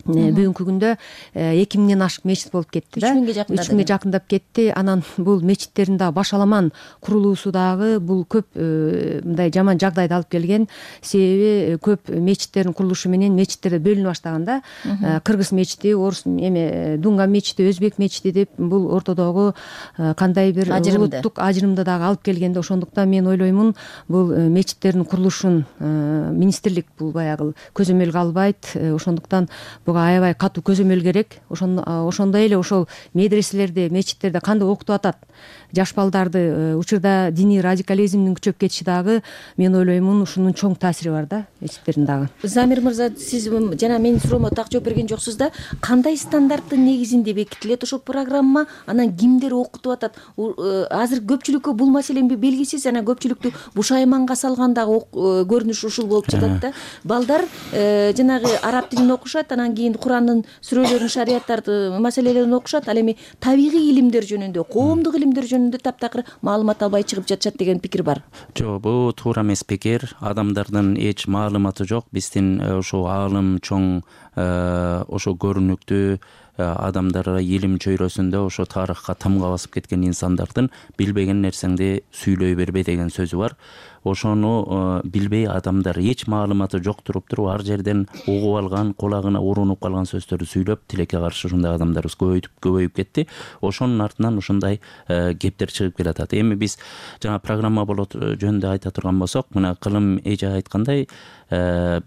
бүгүнкү күндө 2000ден ашык мечит болуп кетти да. 3000ге жакындап кетти. Анан бул мечиттердин дагы башаламан курулуусу дагы бул көп мындай жаман жагдайды алып келген. Себеби көп мечиттердин курулушу менен мечиттерде бөлүнө баштаган да. Кыргыз мечити, орус Дунган мечити, өзбек мечити деп бул ортодогу кандай бир улуттук ажырымды дагы алып келгенде, ошондуктан мен ойлоймун, бул мечиттердин курулушун министрлик бул баягы көзөмөлгө албайт. Ошондуктан буга аябай катуу көзөмөл керек. Ошондой эле ошол медреселерде, мечиттерде кандай окутуп атат жаш балдарды, учурда диний радикализмдин күчөп кетиши дагы, мен ойлоймун, ушунун чоң таасири бар да мечиттердин дагы. Замир мырза, сиз жана менин суроомо так жооп берген жоксуз да. Кандай стандарттын негизинде бекитилет ошол программа? Анан кимдер окутуп атат? Азыр көпчүлүккө бул маселе белгисиз, анан көпчүлүктү бушайманга салган дагы көрүнүш ушул болуп жатат да. Балдар жанагы араб тилин окушат, анан кийин Курандын сүрөлөрүн, шарияттарды, маселелерин окушат, ал эми табигый илимдер жөнүндө, коомдук илимдер жөнүндө таптакыр маалымат албай чыгып жатышат деген пикир бар. Жок, бул туура эмес пикир. Адамдардын эч маалыматы жок. Биздин ошо аалым чоң, ошо көрүнүктүү адамдар илим чөйрөсүндө ошо тарыхка тамга басып кеткен инсандардын билбеген нерсеңди сүйлөй бербе деген сөзү бар. Ошону билбей адамдар эч маалыматы жок туруп ар жерден угуп алган, кулагына урунуп калган сөздөрдү сүйлөп, тилекке каршы ушундай адамдарыбыз көбөйүп кетти. Ошонун артынан ушундай кептер чыгып келатат. Эми биз жана программа болот жөнүндө айта турган болсок, мына Кылым эже айткандай,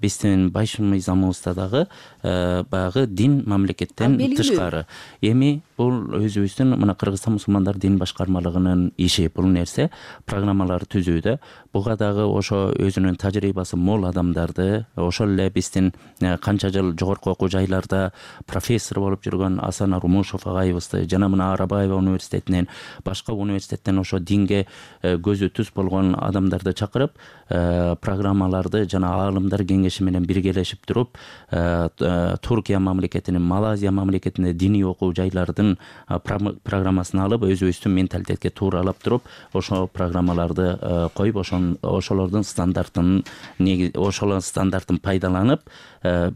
биздин байш мыйзамыбызда дагы баягы дин мамлекеттен тышкары. Эми бул өзүбүздүн мына Кыргызстан мусулмандар дин башкармалыгынын иши, бул нерсе программалар түзүүдө. Буга дагы ошо өзүнүн тажрыйбасы мол адамдарды, ошол эле биздин канча жыл жогорку окуу жайларда профессор болуп жүргөн Асан Арумушов агайыбызды, жана мына Арабаева университетинен, башка университеттен ошо динге көзү түз болгон адамдарды чакырып, программаларды жана аалымдар кеңеши менен биргелешип туруп, Туркия мамлекетинин, Малайзия мамлекетинде диний окуу жайлардын программасын алып, өзүбүздүн менталитетке тууралап туруп, ошо программаларды коюп, ошолордун стандартын пайдаланып,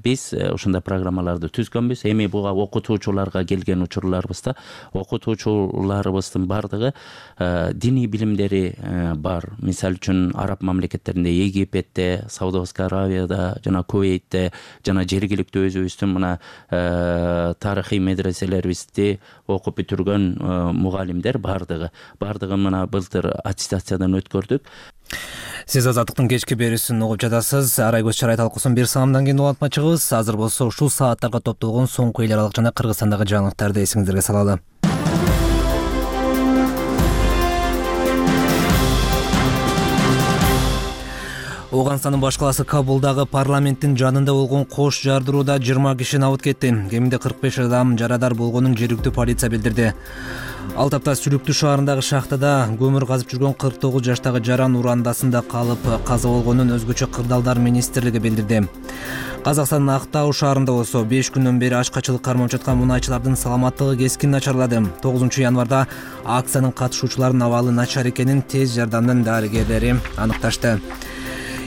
биз ушундай программаларды түзгөнбүз. Эми буга окутуучуларга келген учурларыбызда окутуучуларыбыздын бардыгы диний билимдери бар. Мисалы үчүн араб мамлекеттеринде, Египетте, Саудовская Аравияда, жана Кувейтте, жана жергиликтүү өзүбүздүн мына тарыхый медреселерибизди окуп бүтүргөн мугалимдер бардыгы мына былтыр аттестациядан өткөрдүк. Сиз Азаттыктын кечки берүүсүн угуп жатасыз. Арайкөз чарай талкуусун бир саамдан кийин улантма чыгыбыз. Азыр болсо ушул сааттарга топтолгон соңку эл аралык жана Кыргызстандагы жаңылыктарды эсиңиздерге салалы. Ооганстандын баш калаасы Кабулдагы парламенттин жанында болгон кош жардырууда 20 киши абыт кетти. Кеминде 45 адам жарадар болгонун жергиликтүү полиция билдирди. Ал тапта Сүлүктүү шаарындагы шахтада көмүр казып жүргөн 49 жаштагы Жаран урандасында калып каза болгонун өзгөчө кырдаалдар министрлиги билдирди. Казакстандын Актау шаарында болсо 5 күндөн бери ачкачылык кармап жаткан мунайчылардын саламаттыгы кескин начарлады. 9 январда акциянын катышуучуларынын абалы начар экенин тез жардамдын дарыгерлери аныкташты.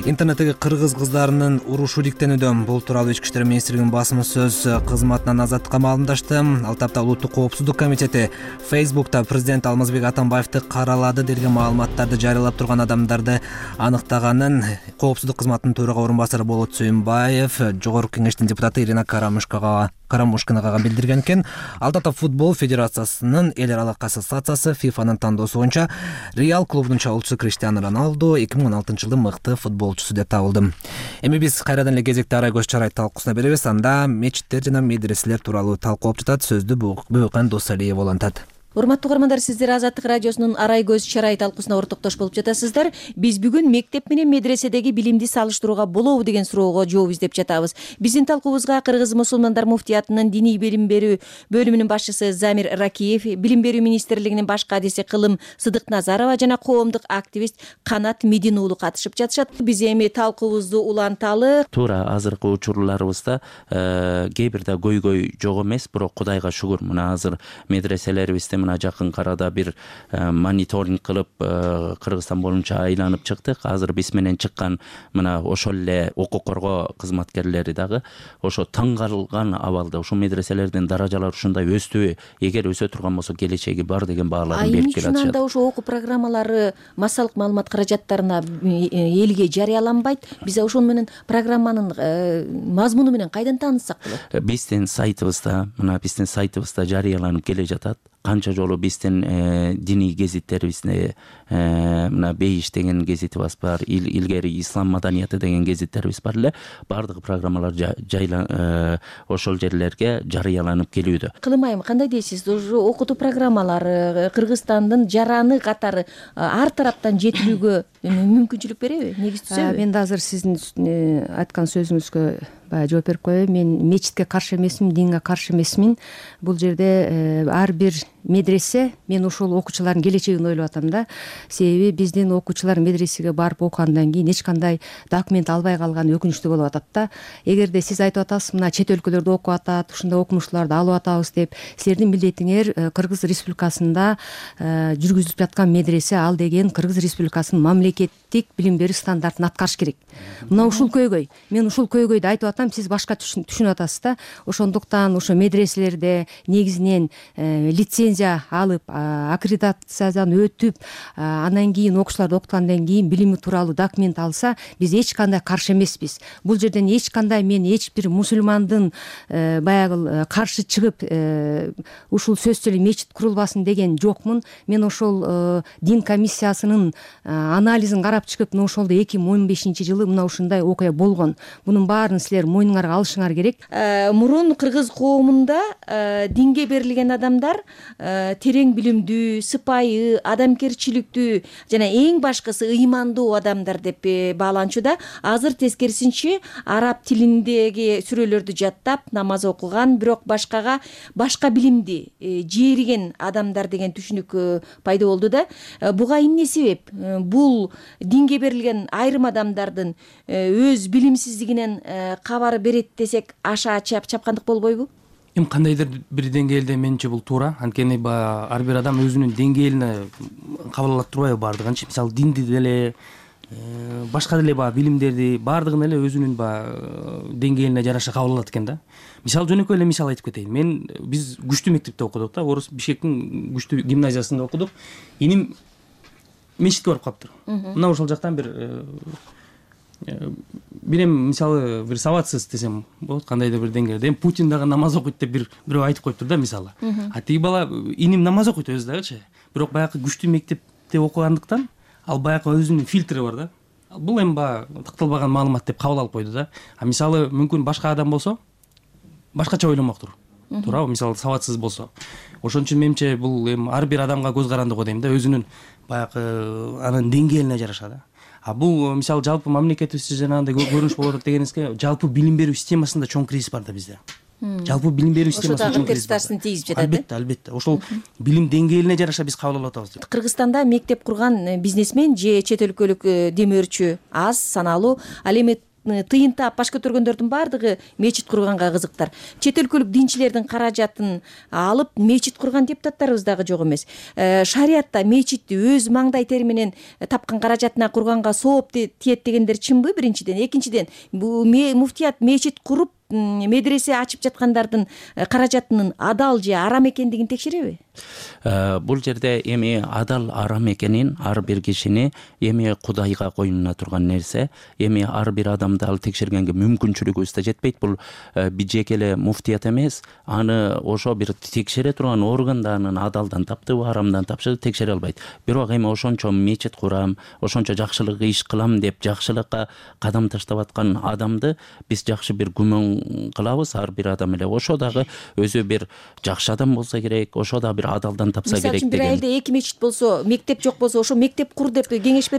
Интернеттеги кыргыз кыздарынын урушу иликтенүүдө. Бул тууралуу Ички иштер министрлигинин басма сөз кызматынан Азаттыкка маалымдашты. Ал тапта Улуттук коопсуздук комитети Facebook'та президент Алмазбек Атамбаевди каралады делген маалыматтарды жарыялап турган адамдарды аныктаганын коопсуздук кызматынын төрага орун басары Болот Сүйүнбаев, Жогорку кеңештин депутаты Ирина Карамышкага Карамушкинага билдирген экен. Ал татап футбол федерациясынын эл аралык ассоциациясы ФИФАнын тандоосу боюнча Реал клубунун чабуулчусу Криштиану Роналду 2016 жылдын мыкты футболчусу деп табылды. Эми биз кайрадан эле кезекти арай көз чарай талкуусуна беребиз. Анда мечиттер жана медреселер тууралуу талкуулап жатат. Сөздү Бөкөн Досалиев улантат. Урматтуу угармандар, сиздер Азаттык радиосунун арай көз чарай талкуусуна ортоктош болуп жатасыздар. Биз бүгүн мектеп менен медреседеги билимди салыштырууга болобу деген суроого жооп издеп жатабыз. Биздин талкуубузга Кыргыз мусулмандар муфтиятынын диний билим берүү бөлүмүнүн башчысы Замир Ракиев, билим берүү министрлигинин баш кадиси Кылым Сыдыкназарова жана коомдук активист Канат Медин уулу катышып жатышат. Биз эми талкуубузду уланталы. Туура азыркы учурларыбызда кээ бирде көйгөй жок эмес, бирок Кудайга шүгүр мына азыр медреселерибизде мына жакын арада бир мониторинг кылып Кыргызстан боюнча айланып чыктык. Азыр биз менен чыккан мына ошол эле укук коргоо кызматкерлери дагы ошо таң калган абалда ушул медреселердин даражалары ушундай өстүбү, эгер өсө турган болсо келечеги бар деген бааларын берип келатышат. Эмне үчүн анда ошо окуу программалары массалык маалымат каражаттарына элге жарыяланбайт? Биз ошол менен программанын мазмуну менен кайдан тааныссак болот? Биздин сайтыбызда жарыяланып келе жатат. Канча жолу биздин диний гезиттерибизде мына Бейиш деген гезитибиз бар, илгери Ислам маданияты деген гезиттерибиз бар эле. Бардык программалар ошол жерлерге жарыяланып келүүдө. Кылым айым, кандай дейсиз? Окутуу программалары Кыргызстандын жараны катары ар тараптан жетилүүгө мүмкүнчүлүк береби? Негиз түзөбү? Мен да азыр сиздин айткан сөзүңүзгө баягы жооп берип коеюн. Мен мечитке каршы эмесмин, динге каршы эмесмин. Бул жерде ар бир медресе, мен ошол окуучулардын келечегин ойлоп атам да. Себеби биздин окуучулар медресеге барып окугандан кийин эч кандай документ албай калганы өкүнүчтүү болуп атат да. Эгерде сиз айтып атасыз, мына чет өлкөлөрдө окуп атат, ушундай окумуштууларды алып атабыз деп, силердин милдетиңер Кыргыз Республикасында жүргүзүлүп жаткан медресе, ал деген Кыргыз Республикасынын мамлекеттик билим берүү стандартын аткарыш керек. Мына ушул көйгөй. Мен ушул көйгөйдү айтып атам, сиз башка түшүнүп атасыз да. Ошондуктан ошо медреселерде негизинен лицензия алып, аккредитациядан өтүп, анан кийин окуучуларды окуткандан кийин билими тууралуу документ алса, биз эч кандай каршы эмеспиз. Бул жерден эч кандай мен эч бир мусулмандын баягы каршы чыгып ушул сөзсүз эле мечит курулбасын деген жокмун. Мен ошол дин комиссиясынын анализин карап чыгып, мына ошолдо 2015 жылы мына ушундай окуя болгон. Бунун баарын силер мойнуңарга алышыңар керек. Мурун кыргыз коомунда динге берилген адамдар терең билимдүү, сыпайы, адамгерчиликтүү жана эң башкысы ыймандуу адамдар деп бааланчу да. Азыр тескерисинче араб тилиндеги сүрөлөрдү жаттап, намаз окуган, бирок башка билимди жээриген адамдар деген түшүнүк пайда болду да. Буга эмне себеп? Бул динге берилген айрым адамдардын өз билимсиздигинен кабары берет десек, аша чапкандык болбойбу? Кандайдыр бир деңгээлде менче бул туура. Анткени ар бир адам өзүнүн деңгээлине кабыл ала турбайбы баардыгынчы. Мисалы динди деле, башка деле билимдерди баардыгын эле өзүнүн деңгээлине жараша кабыл алат экен да. Мисалы жөнөкөй эле мисал айтып кетейин. Биз күчтүү мектепте окудук да, Орус Бишкектин күчтүү гимназиясында окудук. Иним мечитке барып калыптыр. Мына ошол жактан бир мисалы бир сабатсыз десем болот, кандайдыр бир деңгээлде Путин дагы намаз окуйт деп бирөө айтып коюптур да мисалы. Тиги бала иним намаз окуйт өзү дагычы. Бирок баягы күчтүү мектепте окугандыктан ал баягы өзүнүн фильтри бар да. Бул такталбаган маалымат деп кабыл алып койду да. Мисалы мүмкүн башка адам болсо башкача ойломоктур. Туурабы? Мисалы сабатсыз болсо. Ошон үчүн менимче бул ар бир адамга көз карандыгы дейм да, өзүнүн баягы анын деңгээлине жараша да. Бул мисалы жалпы мамлекетибизде жанагындай көрүнүш болуп атат дегенибизге, жалпы билим берүү системасында чоң кризис бар да бизде. Жалпы билим берүү системасында чоң кризис бар. Ошо дагы тийгизип жатат. Албетте. Ошол билим деңгээлине жараша биз кабыл алып атабыз. Кыргызстанда мектеп курган бизнесмен же чет өлкөлүк демөөрчү аз, саналуу. Ал эми тыйын таап баш көтөргөндөрдүн баардыгы мечит курганга кызыктар. Чет өлкөлүк динчилердин каражатын алып мечит курган депутаттарыбыз дагы жок эмес. Шариятта мечитти өз маңдай тери менен тапкан каражатына курганга сооп тиет дегендер чынбы? Биринчиден, экинчиден, бул муфтият мечит куруп медресе ачып жаткандардын каражатынын адал же арам экендигин текшереби? Бул жерде эми адал арам экенин ар бир кишини эми Кудайга коюна турган нерсе. Эми ар бир адамды ал текшергенге мүмкүнчүлүгүбүз да жетпейт. Бул бижеке эле муфтият эмес, аны ошо бир текшере турган орган да анын адалдан таптыбы, арамдан тапшыбы текшере албайт. Бирок эми ошончо мечит курам, ошончо жакшылык иш кылам деп жакшылыкка кадам таштап аткан адамды биз жакшы бир күмөн кылабыз. Ар бир адам эле ошо дагы өзү бир жакшы адам болсо керек, ошо да бир адалдан тапса керек деген. Мисалы үчүн бир айылда 2 мечит болсо, мектеп жок болсо, ошо мектеп кур деп кеңеш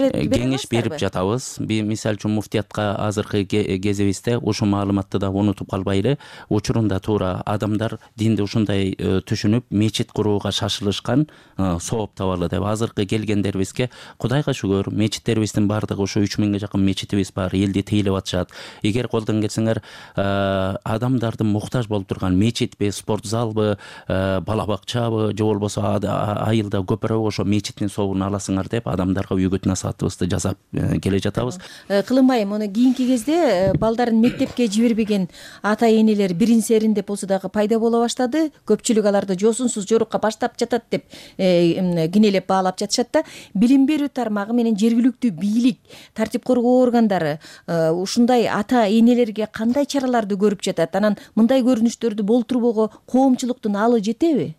берип жатабыз. Мисалы үчүн муфтиятка азыркы кезибизде ушул маалыматты да унутуп калбайлы. Учурунда туура адамдар динди ушундай түшүнүп, мечит курууга шашылышкан, сооп табалы деп. Азыркы келгендерибизге Кудайга шүгүр, мечиттерибиздин баардыгы ушу 3000ге жакын мечитибиз бар, элди тейлеп атышат. Эгер колдон келсеңер, адамдардын муктаж болуп турган мечитпи, спорт залбы, бала бакчабы, же болбосо айылда көпүрө ошо мечиттин сообун аласыңар деп адамдарга үгүт насаатыбызды жасап келе жатабыз. Кылынбай, муну кийинки кезде балдарын мектепке жибербеген ата энелер бирин серин деп болсо дагы пайда боло баштады. Көпчүлүк аларды жосунсуз жорукка баштап жатат деп кинелеп баалап жатышат да. Билим берүү тармагы менен жергиликтүү бийлик, тартип коргоо органдары ушундай ата энелерге кандай чараларды көрүп жатат? Анан мындай көрүнүштөрдү болтурбоого коомчулуктун алы жетеби?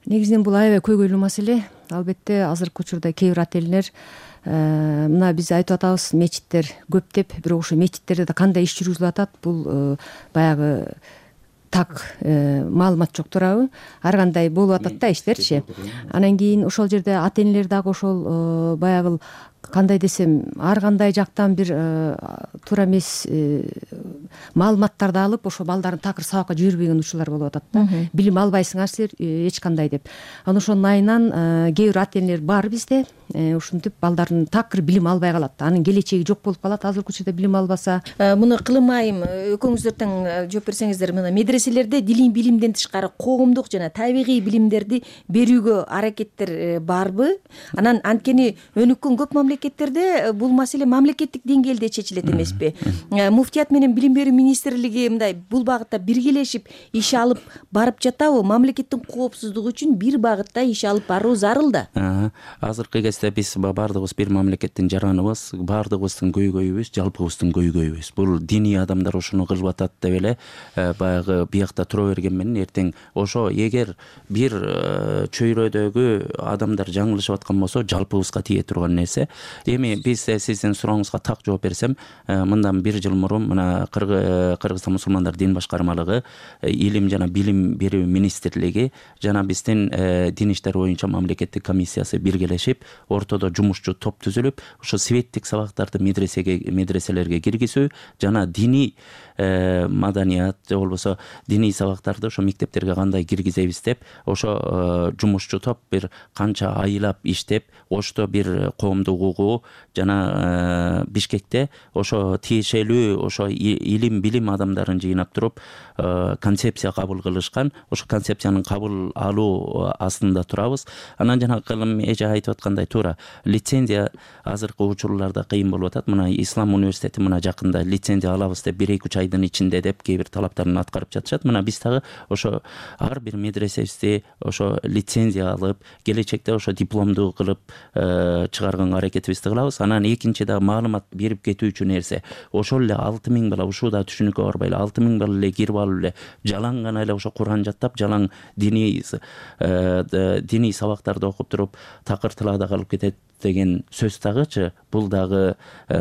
Негизинен бул аябай көйгөйлүү маселе. Албетте азыркы учурда кээ бир ата энелер мына биз айтып атабыз, мечиттер көп деп, бирок ошо мечиттерде да кандай иш жүргүзүлүп атат, бул баягы так маалымат жок туурабы? Ар кандай болуп атат да иштерчи. Анан кийин ошол жерде ата энелер дагы ошол баягы кандай десем, ар кандай жактан бир туура эмес маалыматтарды алып, ошо балдарын такыр сабакка жибербеген учурлар болуп атат да. Билим албайсыңар силер эч кандай деп. Анан ошонун айынан кээ бир ата энелер бар бизде, ушинтип балдарын такыр билим албай калат. Анын келечеги жок болуп калат азыркы учурда билим албаса. Муну Кылымайым экөөңүздөр тең жооп берсеңиздер, мына медреселерде дилий билимден тышкары коомдук жана табигый билимдерди берүүгө аракеттер барбы? Анан анткени өнүккөн көп мамлекеттерде бул маселе мамлекеттик деңгээлде чечилет эмеспи? Муфтият менен билим берүү министрлиги мындай бул багытта биргелешип иш алып барып жатабы? Мамлекеттин коопсуздугу үчүн бир багытта иш алып баруу зарыл да. Азыркы кезде биз баардыгыбыз бир мамлекеттин жараныбыз, баардыгыбыздын көйгөйүбүз жалпыбыздын көйгөйүбүз. Бул диний адамдар ошону кылып атат деп эле баягы биякта тура берген менен эртең ошо эгер бир чөйрөдөгү адамдар жаңылышып аткан болсо жалпыбызга тие турган нерсе. Эми биз сиздин сурооңузга так жооп берсем, мындан 1 жыл мурун мына Кыргызстан мусулмандар дин башкармалыгы, илим жана билим берүү министрлиги жана биздин дин иштери боюнча мамлекеттик комиссиясы биргелешип, ортодо жумушчу топ түзүлүп, ошо светтик сабактарды медреселерге киргизүү жана диний маданият же болбосо диний сабактарды ошо мектептерге кандай киргизебиз деп ошо жумушчу топ бир канча айлап иштеп, Ошто бир коомдук угуу жана Бишкекте ошо тиешелүү ошо илим билим адамдарын жыйнап туруп концепция кабыл кылышкан. Ошо концепциянын кабыл алуу астында турабыз. Анан жана Кылым эже айтып аткандай туура лицензия азыркы учурларда кыйын болуп атат. Мына Ислам университети мына жакында лицензия алабыз деп 1-2 айдын ичинде деп кээ бир талаптарын аткарып жатышат. Мына биз дагы ошо ар бир медресебизди ошо лицензия алып, келечекте ошо дипломдуу кылып чыгарганга аракетибизди кылабыз. Анан экинчи да маалымат берип кетүү үчүн нерсе, ошол эле 6000 бала ушуда түшүнүккө барбайлы 6000 бала эле кирип алып эле жалаң гана эле ошо Куран жаттап, жалаң диний сабактарды окуп туруп такыр тылаада калып кетет деген сөз дагычы, бул дагы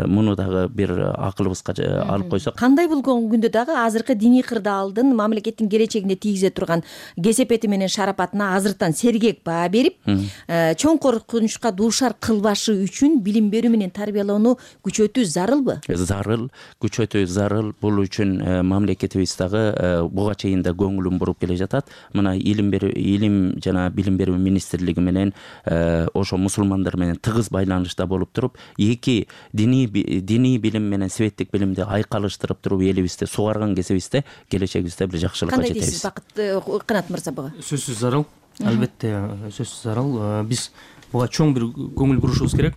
муну дагы бир акылыбызга алып койсок. Кандай болгон күндө дагы азыркы диний кырдаалдын мамлекеттин келечегине тийгизе турган кесепети менен шарапатына азыртан сергек баа берип, чоң коркунучка дуушар кылбашы үчүн билим берүү менен тарбиялоону күчөтүү зарылбы? Зарыл, күчөтүү зарыл. Бул үчүн мамлекетибиз дагы буга чейин да көңүлүн буруп келе жатат. Мына илим жана билим берүү министрлиги менен ошо мусулмандар менен тыгыз байланышта болуп туруп, эки диний билим менен светтик билимди айкалыштырып туруп элибизде сугарган кезибизде келечегибизде бир жакшылыкка жетебиз. Кандай дейсиз Бакыт Канат мырза буга? Сөзсүз зарыл, албетте сөзсүз зарыл. Биз буга чоң бир көңүл бурушубуз керек.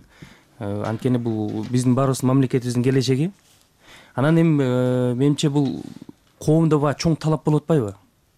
Анткени бул биздин баарыбыздын мамлекетибиздин келечеги. Анан эми менимче бул коомдо баягы чоң талап болуп атпайбы?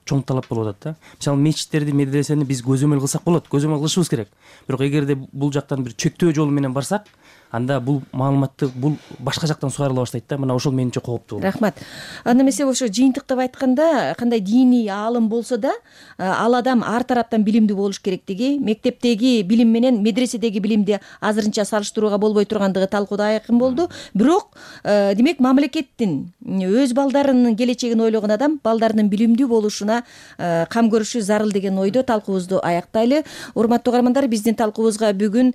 Чоң талап болуп атат да. Мисалы мечиттерди, медресени биз көзөмөл кылсак болот, көзөмөл кылышыбыз керек. Бирок эгерде бул жактан бир чектөө жолу менен барсак, анда бул маалыматты бул башка жактан сугарыла баштайт да. Мына ошол менимче кооптуу. Рахмат. Анда эмесе ошо жыйынтыктап айтканда, кандай диний аалым болсо да, ал адам ар тараптан билимдүү болуш керектиги, мектептеги билим менен медреседеги билимди азырынча салыштырууга болбой тургандыгы талкууда айкын болду. Бирок, демек мамлекеттин өз балдарынын келечегин ойлогон адам балдарынын билимдүү болушуна кам көрүшү зарыл деген ойдо талкуубузду аяктайлы. Урматтуу угармандар, биздин талкуубузга бүгүн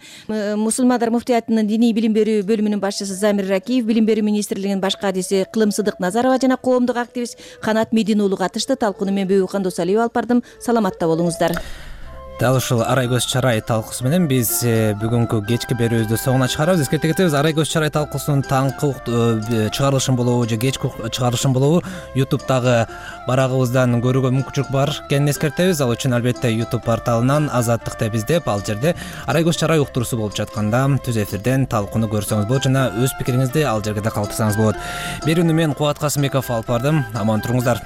Мусулмандар муфтиятынын диний билим берүү бөлүмүнүн башчысы Замир Ракиев, Билим берүү министрлигинин баш кадиси Кылым Сыдык Назарова жана коомдук активист Канат Медин уулу катышты. Талкууну мен Бөбүкан Досалиева алып бардым. Саламатта болуңуздар. Дал ушул Арай көз чарай талкуусу менен биз бүгүнкү кечки берүүбүздү соңуна чыгарабыз. Эскерте кетебиз, Арай көз чарай талкуусунун таңкы чыгарылышын болобу же кечки чыгарылышын болобу YouTube'дагы барагыбыздан көрүүгө мүмкүнчүлүк бар экенин эскертебиз. Ал үчүн албетте YouTube порталынан Азаттыкты биздеп, ал жерде Арай көз чарай уктуруусу болуп жатканда түз эфирден талкууну көрсөңүз болот жана өз пикириңизди ал жерге да калтырсаңыз болот. Берүүнү мен Кубат Касымбеков алып бардым. Аман туруңуздар.